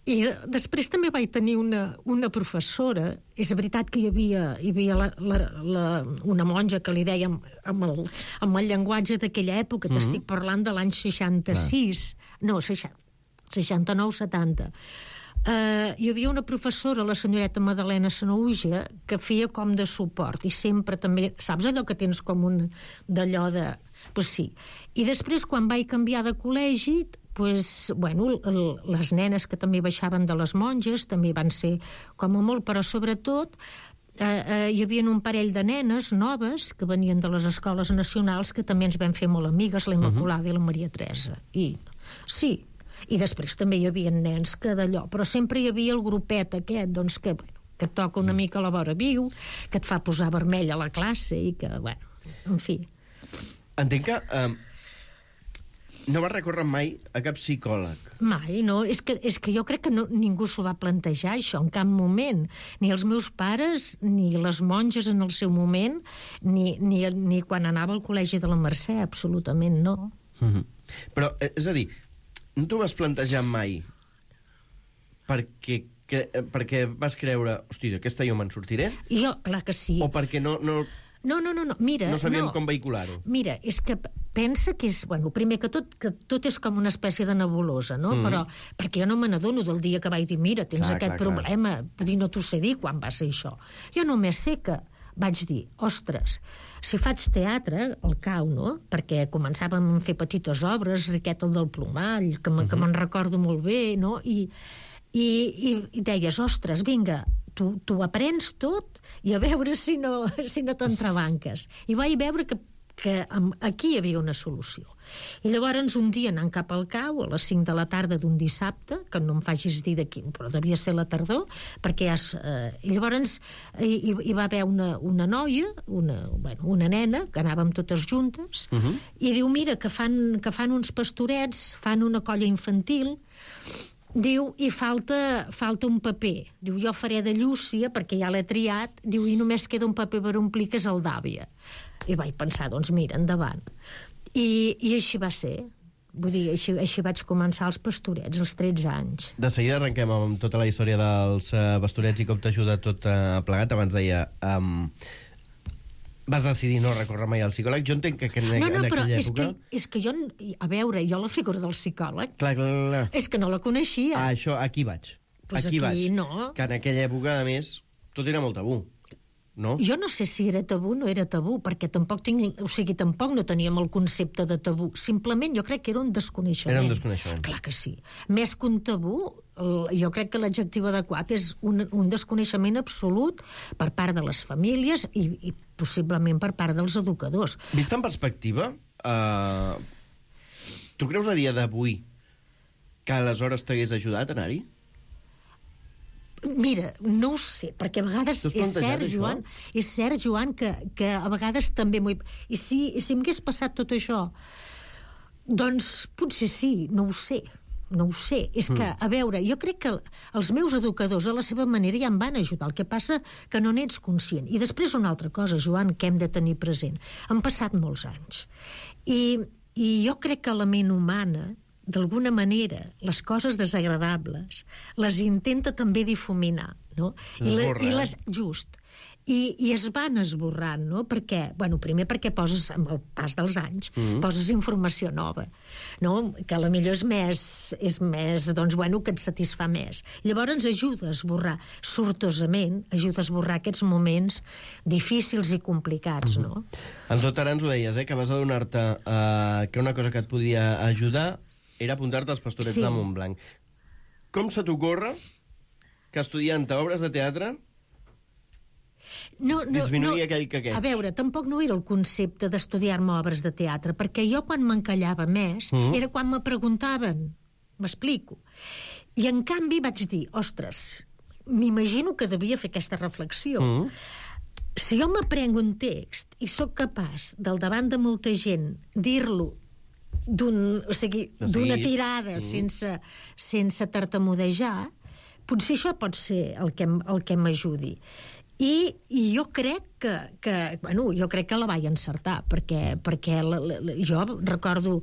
I després també vaig tenir una, una professora. És veritat que hi havia, hi havia la, la, la, una monja que li deia amb, amb, el, amb el llenguatge d'aquella època, Mhm. t'estic parlant de l'any seixanta-sis, no, seixanta-nou setanta. Uh, hi havia una professora, la senyoreta Madalena Sanouja, que feia com de suport, i sempre també, saps allò que tens com un d'allò de... Pues sí. I després, quan vaig canviar de col·legi, pues, bueno, el, les nenes que també baixaven de les monges també van ser com a molt, però sobretot eh, eh, hi havia un parell de nenes noves que venien de les escoles nacionals que també ens vam fer molt amigues, la Immaculada uh -huh. i la Maria Teresa. I sí, i després també hi havia nens que d'allò, però sempre hi havia el grupet aquest, doncs, que, bueno, que et toca una mica a la vora viu, que et fa posar vermell a la classe i que, bueno, en fi. Entenc que eh, no vas recórrer mai a cap psicòleg. Mai, no. És que, és que jo crec que no, ningú s'ho va plantejar, això, en cap moment. Ni els meus pares, ni les monges en el seu moment, ni, ni, ni quan anava al Col·legi de la Mercè, absolutament no. Mm-hmm. Però, eh, és a dir, no t'ho vas plantejar mai perquè, que, perquè vas creure, hosti, d'aquesta jo me'n sortiré? I jo, clar que sí. O perquè no... no... No, no, no, no. Mira... No sabíem no. com vehicular-ho. Mira, és que pensa que és... Bueno, primer que tot, que tot és com una espècie de nebulosa, no? Mm. Però perquè jo no me n'adono del dia que vaig dir, mira, tens Clar, aquest clar, clar. problema. Vull dir, no t'ho sé dir quan va ser això. Jo només sé que vaig dir, ostres, si faig teatre, al cau, no? Perquè començàvem a fer petites obres, Riqueta el del Plomall, que, me, que me'n recordo molt bé, no? I, i, i, i deies, ostres, vinga, tu, tu aprens tot i a veure si no, si no t'entrebanques. I vaig veure que, que aquí hi havia una solució. I llavors un dia anant cap al cau, a les cinc de la tarda d'un dissabte, que no em facis dir de quin, però devia ser la tardor, perquè ja... Eh, I llavors hi, hi va haver una, una noia, una, bueno, una nena, que anàvem totes juntes, Mhm. i diu, mira, que fan, que fan uns pastorets, fan una colla infantil, diu, i falta, falta un paper. Diu, jo faré de Llúcia, perquè ja l'he triat, diu, i només queda un paper per omplir, que és el d'àvia. I vaig pensar, doncs mira, endavant. I, i així va ser. Vull dir, així, així vaig començar els pastorets, als tretze anys. De seguida arrenquem amb tota la història dels uh, pastorets i com t'ha ajudat tot uh, plegat. Abans deia... Um, vas decidir no recórrer mai al psicòleg. Jo entenc que, que en, No, no, en però aquella és època... que, és que jo, a veure, jo la figura del psicòleg, Clar, clar, clar. és que no la coneixia. Ah, això, aquí vaig. Pues aquí, aquí vaig. no. Que en aquella època, a més, tot era molt tabú. No? Jo no sé si era tabú o no era tabú, perquè tampoc tinc, o sigui, tampoc no teníem el concepte de tabú. Simplement jo crec que era un desconeixement. Era un desconeixement. Clar que sí. Més que un tabú, el, jo crec que l'adjectiu adequat és un, un desconeixement absolut per part de les famílies i, i possiblement per part dels educadors. Vist en perspectiva, uh, tu creus a dia d'avui que aleshores t'hagués ajudat a anar-hi? Mira, no ho sé, perquè a vegades T'has és plantejat cert, això? Joan, és cert, Joan, que, que a vegades també m'ho he... I si, i si m'hagués passat tot això, doncs potser sí, no ho sé, no ho sé. És que, a veure, jo crec que els meus educadors a la seva manera ja em van ajudar, el que passa que no n'ets conscient. I després una altra cosa, Joan, que hem de tenir present. Han passat molts anys. I, i jo crec que la ment humana, d'alguna manera, les coses desagradables les intenta també difuminar, no? I, la, Esborra, i eh? les, just. i, i es van esborrant, no? Perquè, bueno, primer perquè poses, amb el pas dels anys, mm. poses informació nova, no? Que a la millor és més, és més, doncs, bueno, que et satisfà més. Llavors ens ajuda a esborrar, sortosament, ajuda a esborrar aquests moments difícils i complicats, no? Mm. En tot ara ens ho deies, eh, que vas adonar-te eh, que una cosa que et podia ajudar era apuntar-te als Pastorets sí. de Montblanc. Com se t'ocorre que estudiant obres de teatre no, no, disminuïa no, aquell que aquell? A veure, tampoc no era el concepte d'estudiar-me obres de teatre, perquè jo quan m'encallava més mm. era quan me preguntaven. M'explico. I en canvi vaig dir, ostres, m'imagino que devia fer aquesta reflexió. Mm. Si jo m'aprenc un text i sóc capaç, del davant de molta gent, dir-lo d'un, o sigui, d'una tirada mm. sense, sense tartamudejar, potser això pot ser el que, el que m'ajudi. I, I jo crec que, que bueno, jo crec que la vaig encertar, perquè, perquè la, la, jo recordo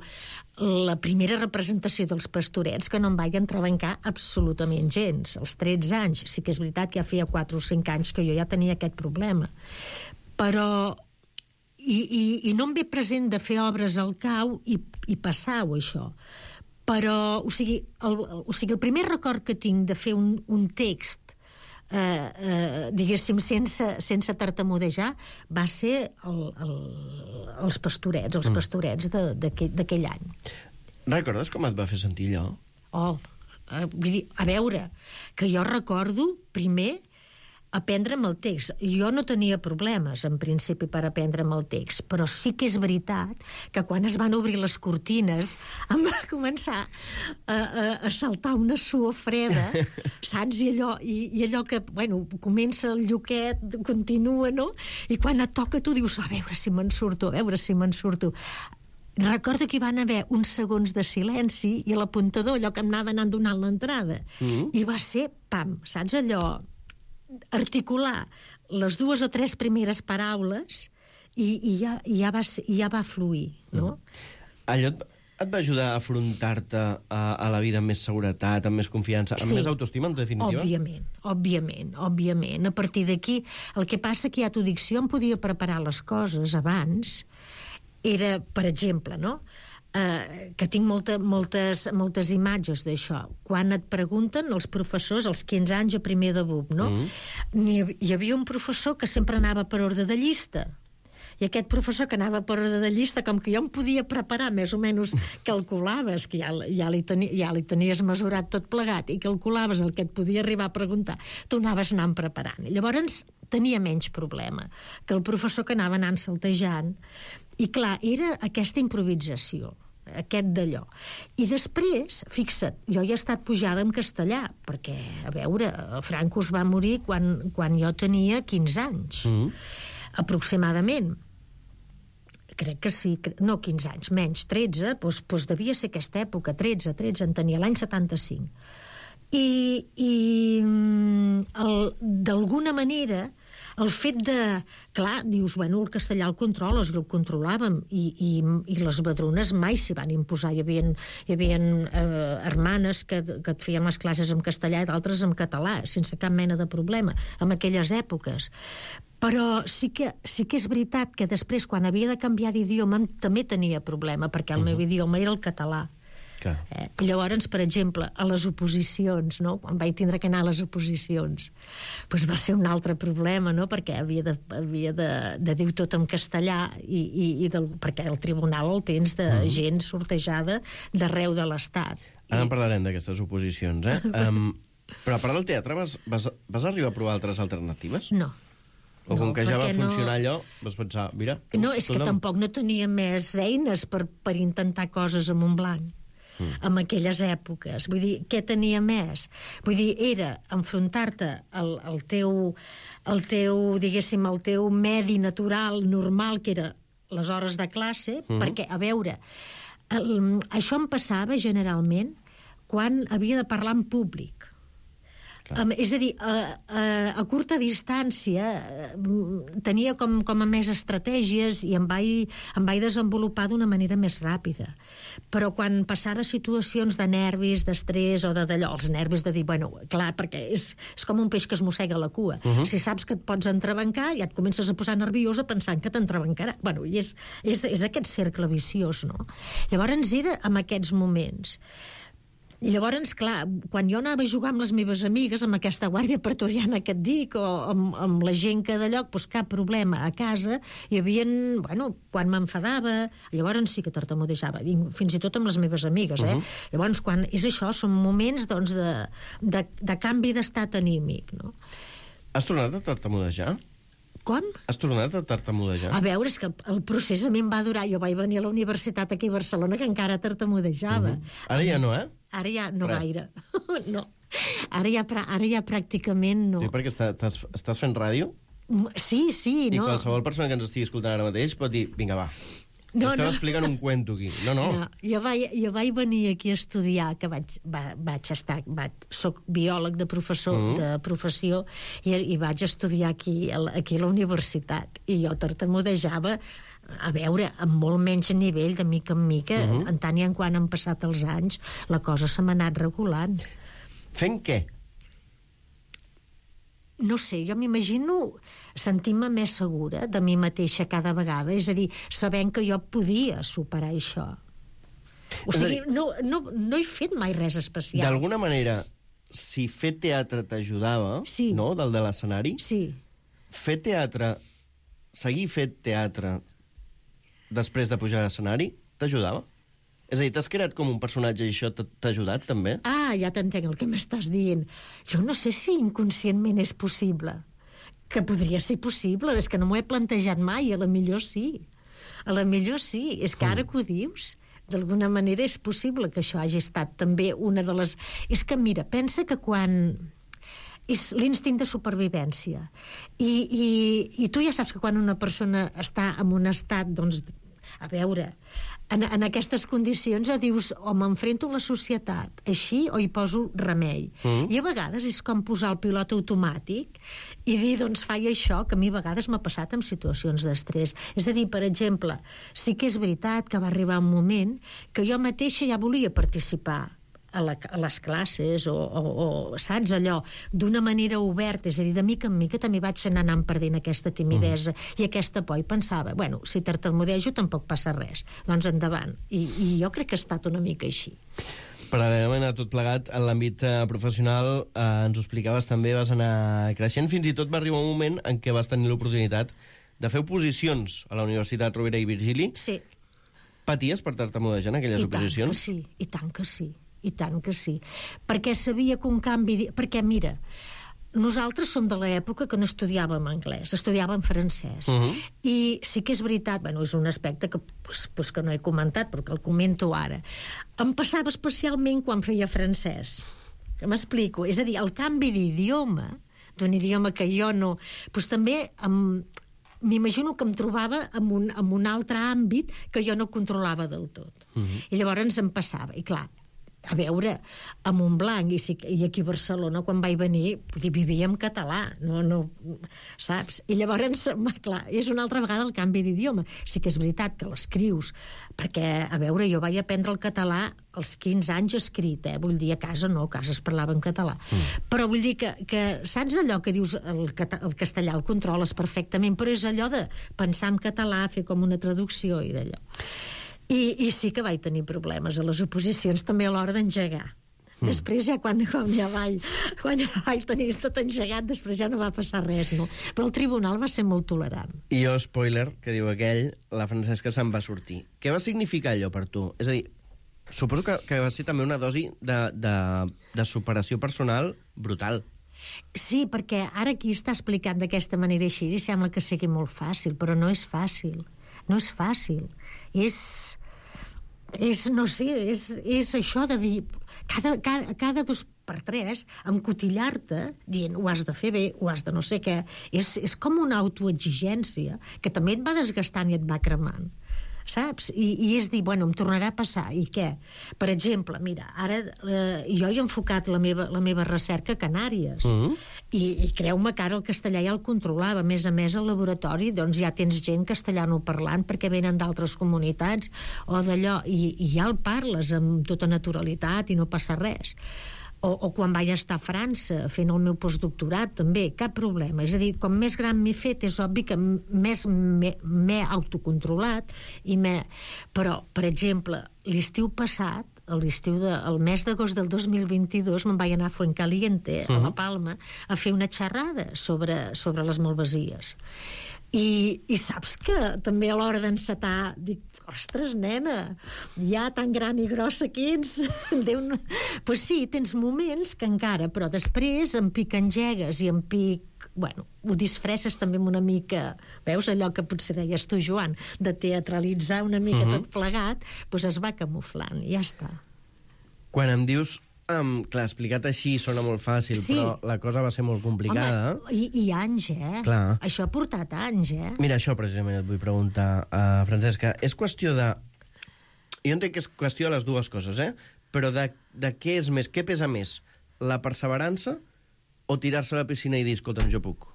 la primera representació dels Pastorets que no em vaig entrebancar absolutament gens, als tretze anys. Sí que és veritat que ja feia quatre o cinc anys que jo ja tenia aquest problema. Però I, i, i no em ve present de fer obres al cau i, i passar-ho, això. Però, o sigui, el, o sigui, el primer record que tinc de fer un, un text, eh, eh, diguéssim, sense, sense tartamudejar, va ser el, el, els Pastorets, els Pastorets d'aquell any. Recordes com et va fer sentir allò? Oh, eh, vull dir, a veure, que jo recordo, primer, aprendre'm el text. Jo no tenia problemes, en principi, per aprendre'm el text, però sí que és veritat que quan es van obrir les cortines em va començar a, a, a saltar una suor freda, saps? I allò, i, i allò que, bueno, comença el lluquet, continua, no? I quan et toca tu dius, a veure si me'n surto, a veure si me'n surto. Recordo que hi van haver uns segons de silenci i a l'apuntador, allò que em anava anant donant l'entrada, mm. i va ser, pam, saps allò? Articular les dues o tres primeres paraules i, i, ja, i, ja, va, i ja va fluir, no? Allò et, et va ajudar a afrontar-te a, a la vida amb més seguretat, amb més confiança, amb sí, més autoestima, en definitiva? Òbviament, òbviament, òbviament. A partir d'aquí, el que passa que ja t'ho dic, si jo em podia preparar les coses abans, era, per exemple, no?, Uh, que tinc molta, moltes, moltes imatges d'això. Quan et pregunten els professors, als quinze anys a primer de B U P, no? Mm. Hi, hi havia un professor que sempre anava per ordre de llista. I aquest professor que anava per ordre de llista, com que jo em podia preparar, més o menys calculaves, que ja, ja, li, teni, ja li tenies mesurat tot plegat, i calculaves el que et podia arribar a preguntar, tu anaves anant preparant. I llavors tenia menys problema que el professor que anava anant saltejant. I clar, era aquesta improvisació, aquest d'allò. I després, fixa't, jo ja he estat pujada en castellà, perquè, a veure, Franco es va morir quan, quan jo tenia quinze anys, mm. aproximadament. Crec que sí, no quinze anys, menys, tretze, doncs, doncs devia ser aquesta època, tretze, tretze, en tenia, l'any setanta-cinc. I, i d'alguna manera, el fet de... Clar, dius, bueno, el castellà el controles, el controlàvem, i, i, i les badrunes mai s'hi van imposar. Hi havia, hi havia eh, hermanes que, que et feien les classes en castellà i d'altres en català, sense cap mena de problema, en aquelles èpoques. Però sí que, sí que és veritat que després, quan havia de canviar d'idioma, també tenia problema, perquè el uh-huh. meu idioma era el català. Eh? Llavors, per exemple, a les oposicions, no? Quan vaig tindre que anar a les oposicions, doncs va ser un altre problema, no? Perquè havia de, havia de, de dir tot en castellà, i, i, i del, perquè el tribunal el tens de mm. gent sortejada d'arreu de l'Estat. Ara I... en parlarem d'aquestes oposicions, eh? um, però a part del teatre, vas, vas, vas arribar a provar altres alternatives? No. O com no, que ja va funcionar no... allò, vas pensar, mira... No, és que tampoc no tenia més eines per, per intentar coses amb un blanc. Mm. En aquelles èpoques. Vull dir, què tenia més? Vull dir, era enfrontar-te al, al teu, al teu, diguéssim, al teu medi natural, normal, que era les hores de classe, mm. perquè, a veure, el, això em passava generalment quan havia de parlar en públic. Um, és a dir, a, a, a curta distància tenia com, com a més estratègies i em vaig, em vaig desenvolupar d'una manera més ràpida. Però quan passava situacions de nervis, d'estrès o de d'allò, els nervis de dir, bueno, clar, perquè és, és com un peix que es mossega la cua. Uh-huh. Si saps que et pots entrebancar, ja et comences a posar nerviosa pensant que t'entrebancarà. Bueno, i és, és, és aquest cercle viciós, no? Llavors era en aquests moments. I llavors, clar, quan jo anava a jugar amb les meves amigues, amb aquesta guàrdia pretoriana que et dic, o amb, amb la gent que de lloc, doncs cap problema a casa, hi havia, bueno, quan m'enfadava, llavors sí que tartamudejava, fins i tot amb les meves amigues, eh? Uh-huh. Llavors, quan és això, són moments, doncs, de, de, de canvi d'estat anímic, no? Has tornat a tartamudejar? Com? Has tornat a tartamudejar? A veure, és que el, el procés a mi em va durar. Jo vaig venir a la universitat aquí a Barcelona que encara tartamudejava. Uh-huh. Ara ja no, eh? Ara ja no Res. gaire. No. Ara ja, ara ja pràcticament no. Sí, perquè estàs, estàs fent ràdio? Sí, sí, I no. I qualsevol persona que ens estigui escoltant ara mateix pot dir, vinga, va, no, esteu no. explicant un cuento aquí. No, no. no jo, vaig, jo vaig venir aquí a estudiar, que vaig, va, vaig estar... Vaig, soc biòleg de, professor, mm. de professió i, i vaig estudiar aquí, aquí a la universitat. I jo tartamudejava, a veure, amb molt menys nivell, de mica en mica, uh-huh. en tant i en quan han passat els anys, la cosa se m'ha anat regulant. Fent què? No sé, jo m'imagino sentir-me més segura de mi mateixa cada vegada, és a dir, sabent que jo podia superar això. O sigui, no, no, no he fet mai res especial. D'alguna manera, si fer teatre t'ajudava, sí. no?, del de l'escenari, sí. fer teatre, seguir fent teatre després de pujar a l'escenari, t'ajudava? És a dir, t'has creat com un personatge i això t'ha ajudat, també? Ah, ja t'entenc el que m'estàs dient. Jo no sé si inconscientment és possible. Que podria ser possible, és que no m'ho he plantejat mai, a la millor sí. A la millor sí, és que ara que ho dius, d'alguna manera és possible que això hagi estat també una de les... És que, mira, pensa que quan... és l'instint de supervivència. I, i, i tu ja saps que quan una persona està en un estat, doncs, a veure, en, en aquestes condicions ja dius o m'enfrento a la societat així o hi poso remei. Mm. I a vegades és com posar el pilot automàtic i dir, doncs, faig això, que a mi a vegades m'ha passat en situacions d'estrès. És a dir, per exemple, sí que és veritat que va arribar un moment que jo mateixa ja volia participar a, la, a les classes o, o, o saps, allò, d'una manera oberta, és a dir, de mica en mica també vaig anar anant perdent aquesta timidesa mm. i aquesta por, i pensava, bueno, si tartamudejo tampoc passa res, doncs endavant. I, i jo crec que ha estat una mica així. Paral·lelament a tot plegat, en l'àmbit eh, professional, eh, ens ho explicaves també, vas anar creixent, fins i tot va arribar un moment en què vas tenir l'oportunitat de fer oposicions a la Universitat Rovira i Virgili. Sí. Paties per tartamudejar en aquelles I oposicions? I tant que sí, i tant que sí. I tant que sí. Perquè sabia que un canvi... Perquè, mira, nosaltres som de l'època que no estudiàvem anglès, estudiàvem francès. Uh-huh. I sí que és veritat, bueno, és un aspecte que, pues, pues, que no he comentat, però que el comento ara. Em passava especialment quan feia francès. Que m'explico? És a dir, el canvi d'idioma, d'un idioma que jo no... Pues, també em... m'imagino que em trobava en un, en un altre àmbit que jo no controlava del tot. Uh-huh. I llavors em passava. I clar, a veure, a Montblanc i, si, i aquí a Barcelona, quan vaig venir, vivia en català, no, no, saps? I llavors, clar, és una altra vegada el canvi d'idioma. Sí que és veritat que l'escrius, perquè, a veure, jo vaig aprendre el català als quinze anys escrit, eh? Vull dir, a casa no, a casa es parlava en català. Mm. Però vull dir que, que, saps allò que dius, el, el castellà el controles perfectament, però és allò de pensar en català, fer com una traducció i d'allò. I, I sí que vaig tenir problemes a les oposicions, també a l'hora d'engegar. Mm. Després ja quan, quan ja vaig, quan ja vaig tenir tot engegat, després ja no va passar res, no? Però el tribunal va ser molt tolerant. I jo, spoiler, que diu aquell, la Francesca se'n va sortir. Què va significar allò per tu? És a dir, suposo que, que va ser també una dosi de, de, de superació personal brutal. Sí, perquè ara aquí està explicant d'aquesta manera així i sembla que sigui molt fàcil, però no és fàcil. No és fàcil. És, és no sé, és, és això de dir, cada, cada, cada dos per tres, encotillar-te, dient, ho has de fer bé, ho has de no sé què, és, és com una autoexigència que també et va desgastant i et va cremant. saps? I, i és dir, bueno, em tornarà a passar, i què? Per exemple, mira, ara eh, jo he enfocat la meva, la meva recerca a Canàries, mm-hmm. i, i creu-me que ara el castellà ja el controlava. A més a més, al laboratori doncs ja tens gent castellanoparlant perquè venen d'altres comunitats o d'allò, i, i ja el parles amb tota naturalitat i no passa res. O, o quan vaig estar a França fent el meu postdoctorat, també, cap problema. És a dir, com més gran m'he fet, és obvi que més m'he autocontrolat, i m'he... Però, per exemple, l'estiu passat, l'estiu de, el mes d'agost del dos mil vint-i-dos, me'n vaig anar a Fuencaliente, uh-huh. a La Palma, a fer una xerrada sobre, sobre les malvasies. I, i saps que també a l'hora d'encetar dic, ostres, nena, ja tan gran i grossa que ets. Déu no... Pues sí, tens moments que encara, però després em pic engegues i em pic... Bueno, ho disfresses també amb una mica... Veus allò que potser deies tu, Joan, de teatralitzar una mica uh-huh. tot plegat, doncs es va camuflant, i ja està. Quan em dius... Um, clar, explicat així sona molt fàcil, sí. però la cosa va ser molt complicada. Home, i, i anys, eh? Clar. Això ha portat anys, eh? Mira, això precisament et vull preguntar, uh, Francesca. És qüestió de... Jo entenc que és qüestió de les dues coses, eh? Però de, de què és més? Què pesa més? La perseverança o tirar-se a la piscina i dir, escolta'm, jo puc?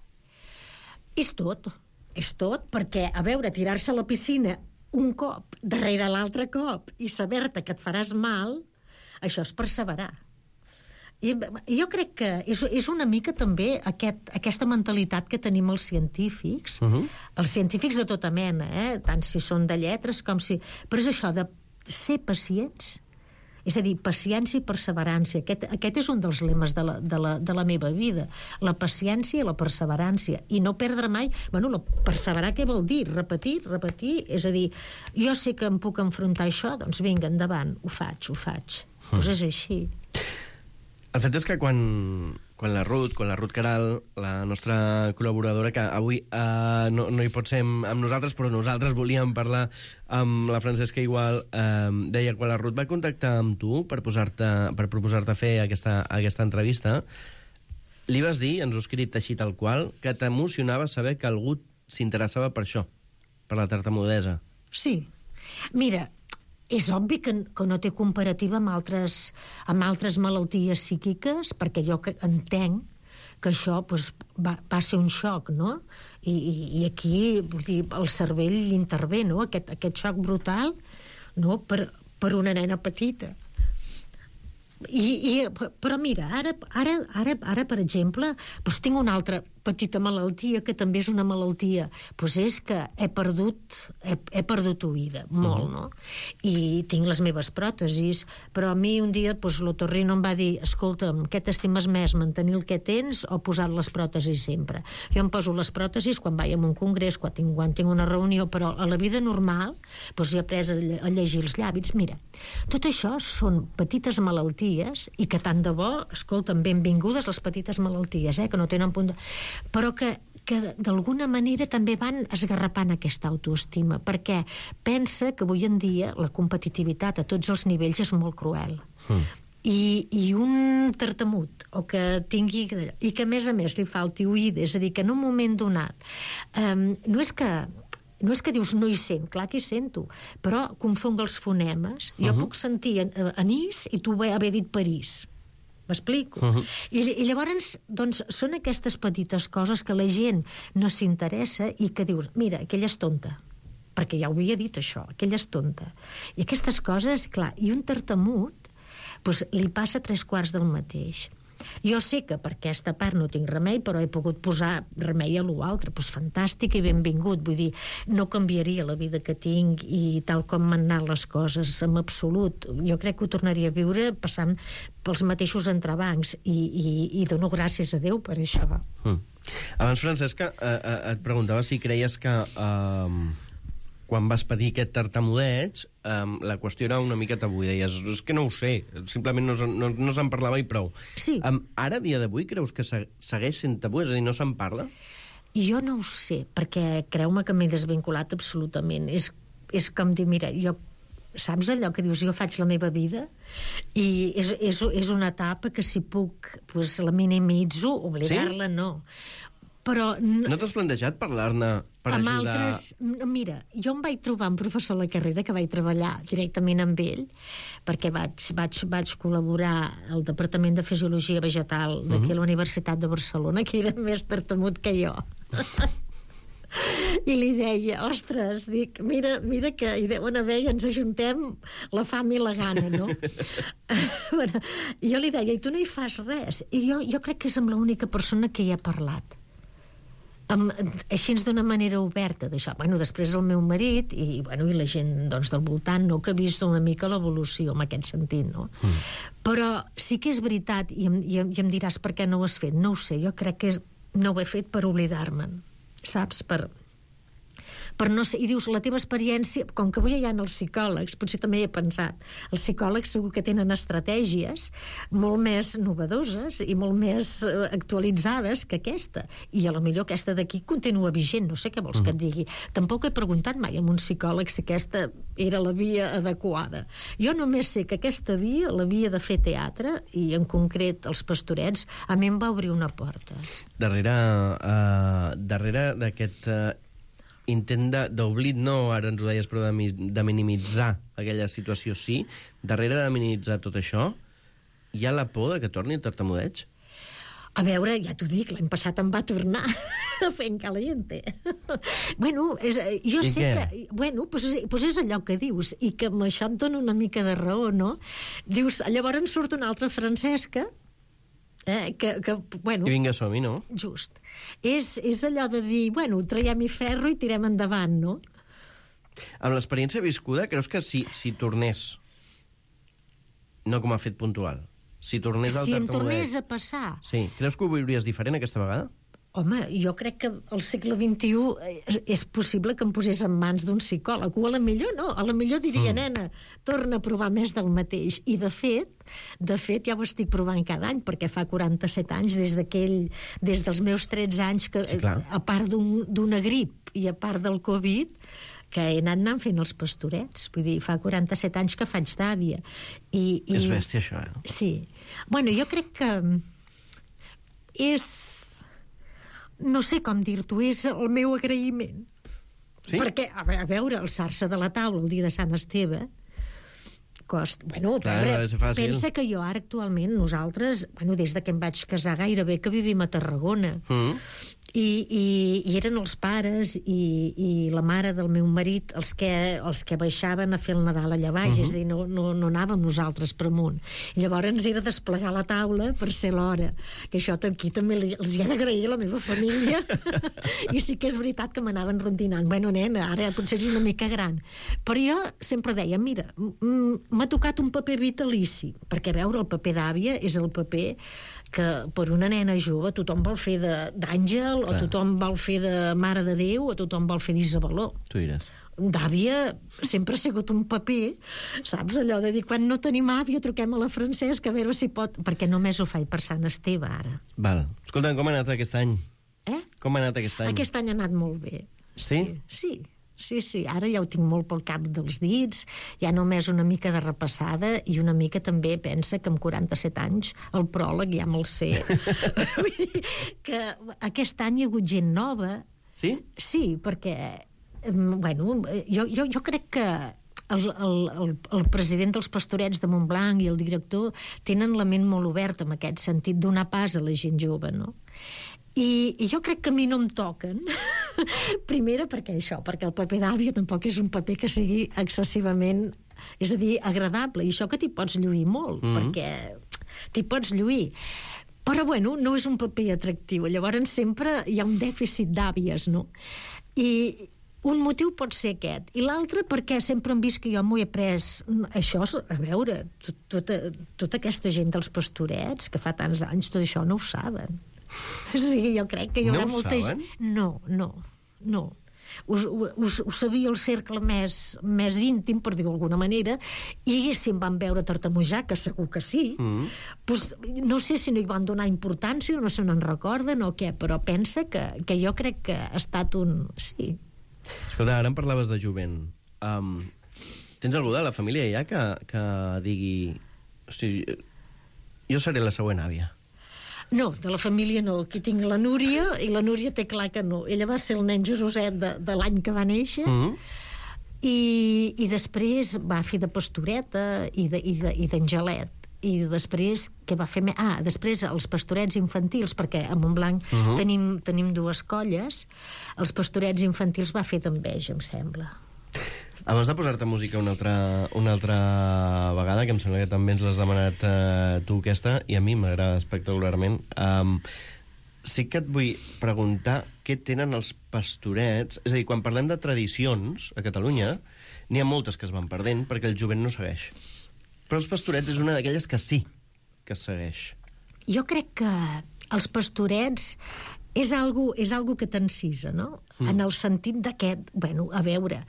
És tot. És tot, perquè, a veure, tirar-se a la piscina un cop, darrere l'altre cop, i saber-te que et faràs mal... Això és perseverar. I jo crec que és, és una mica també aquest, aquesta mentalitat que tenim els científics, uh-huh. els científics de tota mena, eh? Tant si són de lletres com si... Però és això de ser pacients, és a dir, paciència i perseverància. Aquest, aquest és un dels lemes de la, de, la, de la meva vida, la paciència i la perseverància, i no perdre mai... Bueno, la perseverar què vol dir? Repetir, repetir, és a dir, jo sé que em puc enfrontar a això, doncs vinga, endavant, ho faig, ho faig. Pues és així. El fet és que quan, quan la Ruth, quan la Ruth Caral, la nostra col·laboradora, que avui uh, no, no hi pot ser amb, amb nosaltres, però nosaltres volíem parlar amb la Francesca igual, uh, deia, quan la Ruth va contactar amb tu per, posar-te, per proposar-te fer aquesta, aquesta entrevista, li vas dir, ens ho he escrit així tal qual, que t'emocionava saber que algú s'interessava per això, per la tartamudesa. Sí. Mira, és obvi que, que no té comparativa amb altres, amb altres malalties psíquiques, perquè jo que entenc que això doncs, va, va ser un xoc, no? I, i, i aquí, vull dir, el cervell intervé, no? Aquest, aquest xoc brutal, no? Per, per una nena petita. I, i, però mira, ara, ara, ara, ara per exemple, doncs tinc una altra petita malaltia, que també és una malaltia, doncs és que he perdut, he, he perdut oïda, molt, uh-huh. no? I tinc les meves pròtesis, però a mi un dia doncs, l'otorrino em va dir, escolta'm, què t'estimes més, mantenir el que tens o posar les pròtesis sempre? Jo em poso les pròtesis quan vaig a un congrés, quan tinc, quan tinc una reunió, però a la vida normal doncs he après a, a llegir els llàbits. Mira, tot això són petites malalties i que tant de bo, escolta'm, benvingudes les petites malalties, eh, que no tenen punt de... però que, que d'alguna manera també van esgarrapant aquesta autoestima, perquè pensa que avui en dia la competitivitat a tots els nivells és molt cruel. Mm. I, i un tartamut, o que tingui... i que a més a més li falti oïda, és a dir, que en un moment donat um, no és que no és que dius no hi sent, clar que hi sento, però confonc els fonemes. Jo uh-huh. puc sentir anís i tu haver dit París. M'explico? Uh-huh. I, I llavors, doncs, són aquestes petites coses que la gent no s'interessa i que dius, mira, aquella és tonta, perquè ja ho havia dit això, aquella és tonta. I aquestes coses, clar, i un tartamut, doncs, li passa tres quarts del mateix. Jo sé que per aquesta part no tinc remei, però he pogut posar remei a l'altre, doncs fantàstic i benvingut, vull dir, no canviaria la vida que tinc i tal com m'han anat les coses, en absolut. Jo crec que ho tornaria a viure passant pels mateixos entrebancs i, i, i dono gràcies a Déu per això. Mm. Abans, Francesca, eh, eh, et preguntava si creies que eh, quan vas patir aquest tartamudeig um, la qüestió era una mica tabú. Deies, és que no ho sé, simplement no, no, no se'n parlava i prou. Sí. Um, ara, a dia d'avui, creus que segueix sent tabú? És a dir, no se'n parla? Jo no ho sé, perquè creu-me que m'he desvinculat absolutament. És, és com dir, mira, jo saps allò que dius, jo faig la meva vida i és, és, és una etapa que si puc, doncs la minimitzo, oblidar-la, sí? No. Però... No t'has plantejat parlar-ne per amb ajudar... altres... Mira, jo em vaig trobar un professor a la carrera que vaig treballar directament amb ell, perquè vaig, vaig, vaig col·laborar al Departament de Fisiologia Vegetal d'aquí Mhm. a la Universitat de Barcelona, que era més tartamut que jo. I li deia, ostres, dic, mira, mira que hi deuen haver i ens ajuntem la fam i la gana, no? Bueno, jo li deia, i tu no hi fas res? I jo, jo crec que és amb l'única persona que hi ha parlat. Amb, així d'una manera oberta d'això. Bueno, després el meu marit i, bueno, i la gent doncs, del voltant, no, que ha vist una mica l'evolució en aquest sentit, no? Mm. Però sí que és veritat, i em, i, em, i em diràs per què no ho has fet, no ho sé, jo crec que és, no ho he fet per oblidar-me'n, saps? Per... per no ser, i dius, la teva experiència, com que avui hi ha els psicòlegs, potser també hi he pensat, els psicòlegs segur que tenen estratègies molt més novedoses i molt més eh, actualitzades que aquesta, i a lo millor aquesta d'aquí continua vigent, no sé què vols mm. que et digui. Tampoc he preguntat mai a un psicòleg si aquesta era la via adequada. Jo només sé que aquesta via, la via de fer teatre, i en concret els Pastorets, a mi em va obrir una porta. Darrere, uh, darrere d'aquest... Uh... intent d'oblit, no, ara ens ho deies, però de, de minimitzar aquella situació, sí. Darrere de minimitzar tot això, hi ha la por de que torni el tartamudeig? A veure, ja t'ho dic, l'any passat em va tornar a fer en caliente. Bueno, és, jo I sé què? que... Bueno, pues, pues és allò que dius, i que amb això et dona una mica de raó, no? Dius, llavors surt una altra Francesca, eh, que, que, bueno... I vinga, som-hi, no? Just. És, és allò de dir, bueno, traiem-hi ferro i tirem endavant, no? Amb l'experiència viscuda, creus que si, si tornés, no com ha fet puntual, si tornés al Si em tartamudeig... tornés a passar... Sí, creus que ho viuries diferent aquesta vegada? Home, jo crec que al segle vint-i-u és possible que em posés en mans d'un psicòleg, o a la millor no, a la millor diria, mm. nena, torna a provar més del mateix. I de fet, de fet ja ho estic provant cada any, perquè fa quaranta-set anys, des d'aquell, des dels meus tretze anys, que sí, a part d'una grip i a part del Covid, que he anat anant fent els Pastorets. Vull dir, fa quaranta-set anys que faig d'àvia. I, i... És bèstia, això, eh? Sí. Bueno, jo crec que és... no sé com dir-t'ho, és el meu agraïment. Sí? Perquè, a veure, alçar-se de la taula el dia de Sant Esteve costa... Bueno, Clar, veure, pensa que jo ara actualment, nosaltres, bueno, des de que em vaig casar gairebé que vivim a Tarragona, mm. i, i, i eren els pares i, i la mare del meu marit els que, els que baixaven a fer el Nadal allà baix, mm-hmm. és a dir, no, no, no anàvem nosaltres per amunt. I llavors era desplegar la taula per ser l'hora, que això aquí també li, els hi he d'agrair a la meva família, i sí que és veritat que m'anaven rondinant. Bueno, nena, ara potser és una mica gran. Però jo sempre deia, mira, m'ha tocat un paper vitalici, perquè veure el paper d'àvia és el paper que per una nena jove tothom vol fer d'àngel, o tothom vol fer de Mare de Déu, o tothom vol fer d'Isabeló. Tu diràs. D'àvia sempre ha sigut un paper, saps, allò de dir, quan no tenim àvia truquem a la Francesca a veure si pot, perquè només ho faig per Sant Esteve ara. Val. Escolta, com ha anat aquest any? Eh? Com ha anat aquest any? Aquest any ha anat molt bé. Sí? Sí, sí, sí. Ara ja ho tinc molt pel cap dels dits, ja només una mica de repassada, i una mica també pensa que amb quaranta-set anys el pròleg ja me'l sé. Vull dir que aquest any hi ha hagut gent nova. Sí? Sí, perquè, bueno, jo, jo, jo crec que el, el, el, el president dels Pastorets de Montblanc i el director tenen la ment molt oberta en aquest sentit, donar pas a la gent jove, no? I, i jo crec que a mi no em toquen. Primera perquè això, perquè el paper d'àvia tampoc és un paper que sigui excessivament, és a dir, agradable, i això que t'hi pots lluir molt, mm-hmm. perquè t'hi pots lluir. Però, bueno, no és un paper atractiu. Llavors sempre hi ha un dèficit d'àvies, no? I un motiu pot ser aquest. I l'altre perquè sempre hem vist que jo m'ho he pres... Això, a veure, tot, tota, tota aquesta gent dels Pastorets, que fa tants anys, tot això no ho saben. Sí, jo crec que hi haurà no molta gent... No, no, no. Us, us, us sabia el cercle més, més íntim, per dir-ho d'alguna manera, i si em van veure tartamujar, que segur que sí, mm. pues, no sé si no hi van donar importància o no se n'en recorden o què, però pensa que, que jo crec que ha estat un... Sí. Escolta, ara em parlaves de jovent. Um, tens algú de la família ja que, que digui... Hosti, jo seré la següent àvia. No, de la família no. Aquí tinc la Núria, i la Núria té clar que no. Ella va ser el nen Jesuset de, de l'any que va néixer, mm. i, i després va fer de pastoreta i d'angelet. I després, què va fer? Ah, després els pastorets infantils, perquè a Montblanc uh -huh. tenim, tenim dues colles. Els pastorets infantils va fer d'enveja, em sembla. Abans de posar-te música una altra, una altra vegada, que em sembla que també ens l'has demanat uh, tu aquesta, i a mi m'agrada espectacularment, um, sí que et vull preguntar què tenen els pastorets. És a dir, quan parlem de tradicions a Catalunya, n'hi ha moltes que es van perdent perquè el jovent no segueix. Però els pastorets és una d'aquelles que sí que es segueix. Jo crec que els pastorets és algo, és algo que t'encisa, no? Mm. En el sentit d'aquest, bueno, a veure,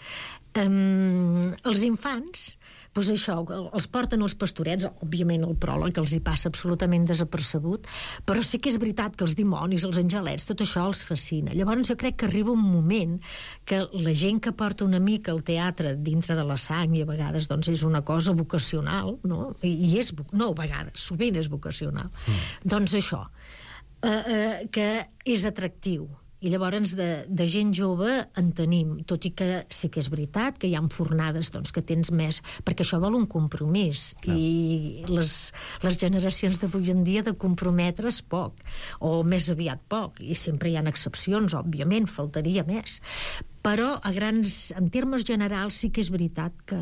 um, els infants, doncs això, els porten els pastorets, òbviament el pròleg els hi passa absolutament desapercebut, però sí que és veritat que els dimonis, els angelets, tot això els fascina. Llavors jo crec que arriba un moment que la gent que porta una mica el teatre dintre de la sang, i a vegades doncs és una cosa vocacional, no? I, i és, no, a vegades, sovint és vocacional. Mm. Doncs això, Uh, uh, que és atractiu, i llavors de, de gent jove en tenim, tot i que sí que és veritat que hi ha fornades doncs, que tens més, perquè això vol un compromís. Clar. I les, les generacions d'avui en dia de comprometre's poc, o més aviat poc, i sempre hi ha excepcions, òbviament, faltaria més, però a grans, en termes generals sí que és veritat que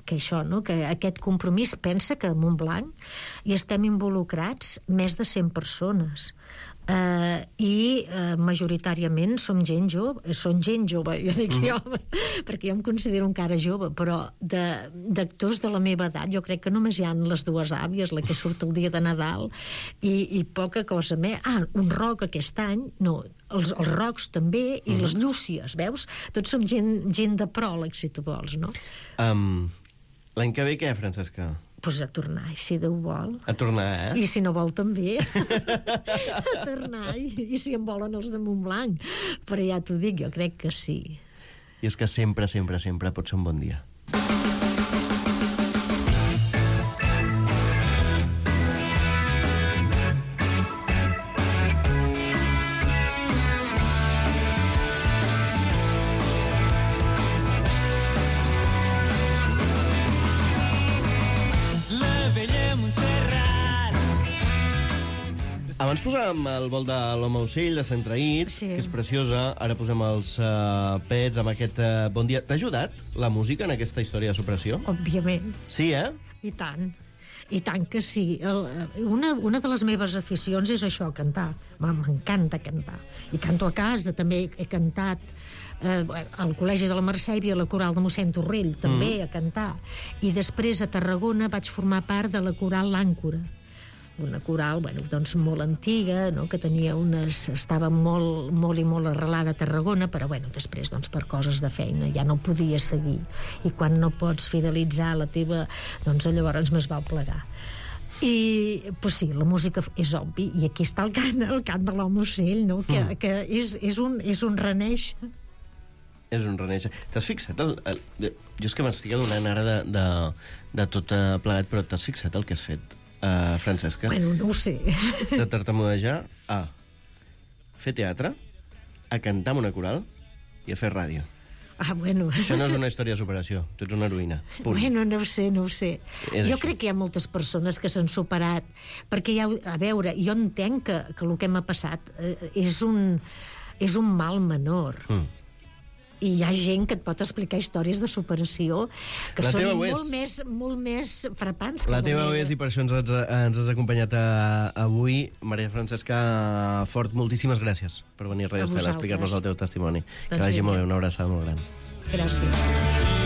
que això, no? Que aquest compromís, pensa que a Montblanc hi estem involucrats més de cent persones, uh, i uh, majoritàriament som gent jove, són gent jove, jo dic mm. jo, perquè jo em considero encara jove, però d'actors de, de la meva edat jo crec que només hi ha les dues àvies, la que surt el dia de Nadal, i, i poca cosa més. Ah, un rock aquest any, no, els, els rocs també, i mm. les llúcies, veus? Tots som gent, gent de pròleg, si tu vols, no? Um... L'any que ve què, Francesca? Doncs pues a tornar, si Déu vol. A tornar, eh? I si no vol, també. A tornar, i, i si en volen els de Montblanc. Però ja t'ho dic, jo crec que sí. I és que sempre, sempre, sempre pot ser un bon dia. Abans posàvem el vol de l'Home Ocell, de Sant Traït, sí. que és preciosa. Ara posem els uh, pets amb aquest uh, bon dia. T'ha ajudat la música en aquesta història de supressió? Òbviament. Sí, eh? I tant. I tant que sí. El, una, una de les meves aficions és això, cantar. M'encanta cantar. I canto a casa, també he cantat eh, al Col·legi de la Mercè, i a la coral de mossèn Torrell, també mm. a cantar. I després a Tarragona vaig formar part de la coral L'Àncora, una coral, bueno, doncs molt antiga, no?, que tenia unes... estava molt, molt i molt arrelada a Tarragona, però, bueno, després, doncs, per coses de feina ja no podia seguir. I quan no pots fidelitzar la teva... doncs llavors més val plegar. I, pues sí, la música és obvi, i aquí està el cant, el cant de l'Home Ocell, no?, que, mm. que és, és, un, és un renéixer. És un renéixer. T'has fixat? El, el, jo és que m'estic adonant ara de, de, de tot plegat, però t'has fixat el que has fet? Uh, Francesca? Bueno, no ho sé. De tartamudejar a fer teatre, a cantar amb una coral i a fer ràdio. Ah, bueno. Això no és una història de superació. Tu ets una heroïna. Punt. Bueno, no ho sé, no ho sé. És jo així. crec que hi ha moltes persones que s'han superat, perquè ja, a veure, jo entenc que, que el que m'ha passat eh, és, un, és un mal menor. Mm. I hi ha gent que et pot explicar històries de superació que la són molt més, molt més frapants que la, la teva meva. és, i per això ens has, ens has acompanyat a, avui. Maria Francesca Fort, moltíssimes gràcies per venir a Radio Estel a explicar-nos el teu testimoni. Doncs que vagi molt bé, una abraçada molt gran. Gràcies.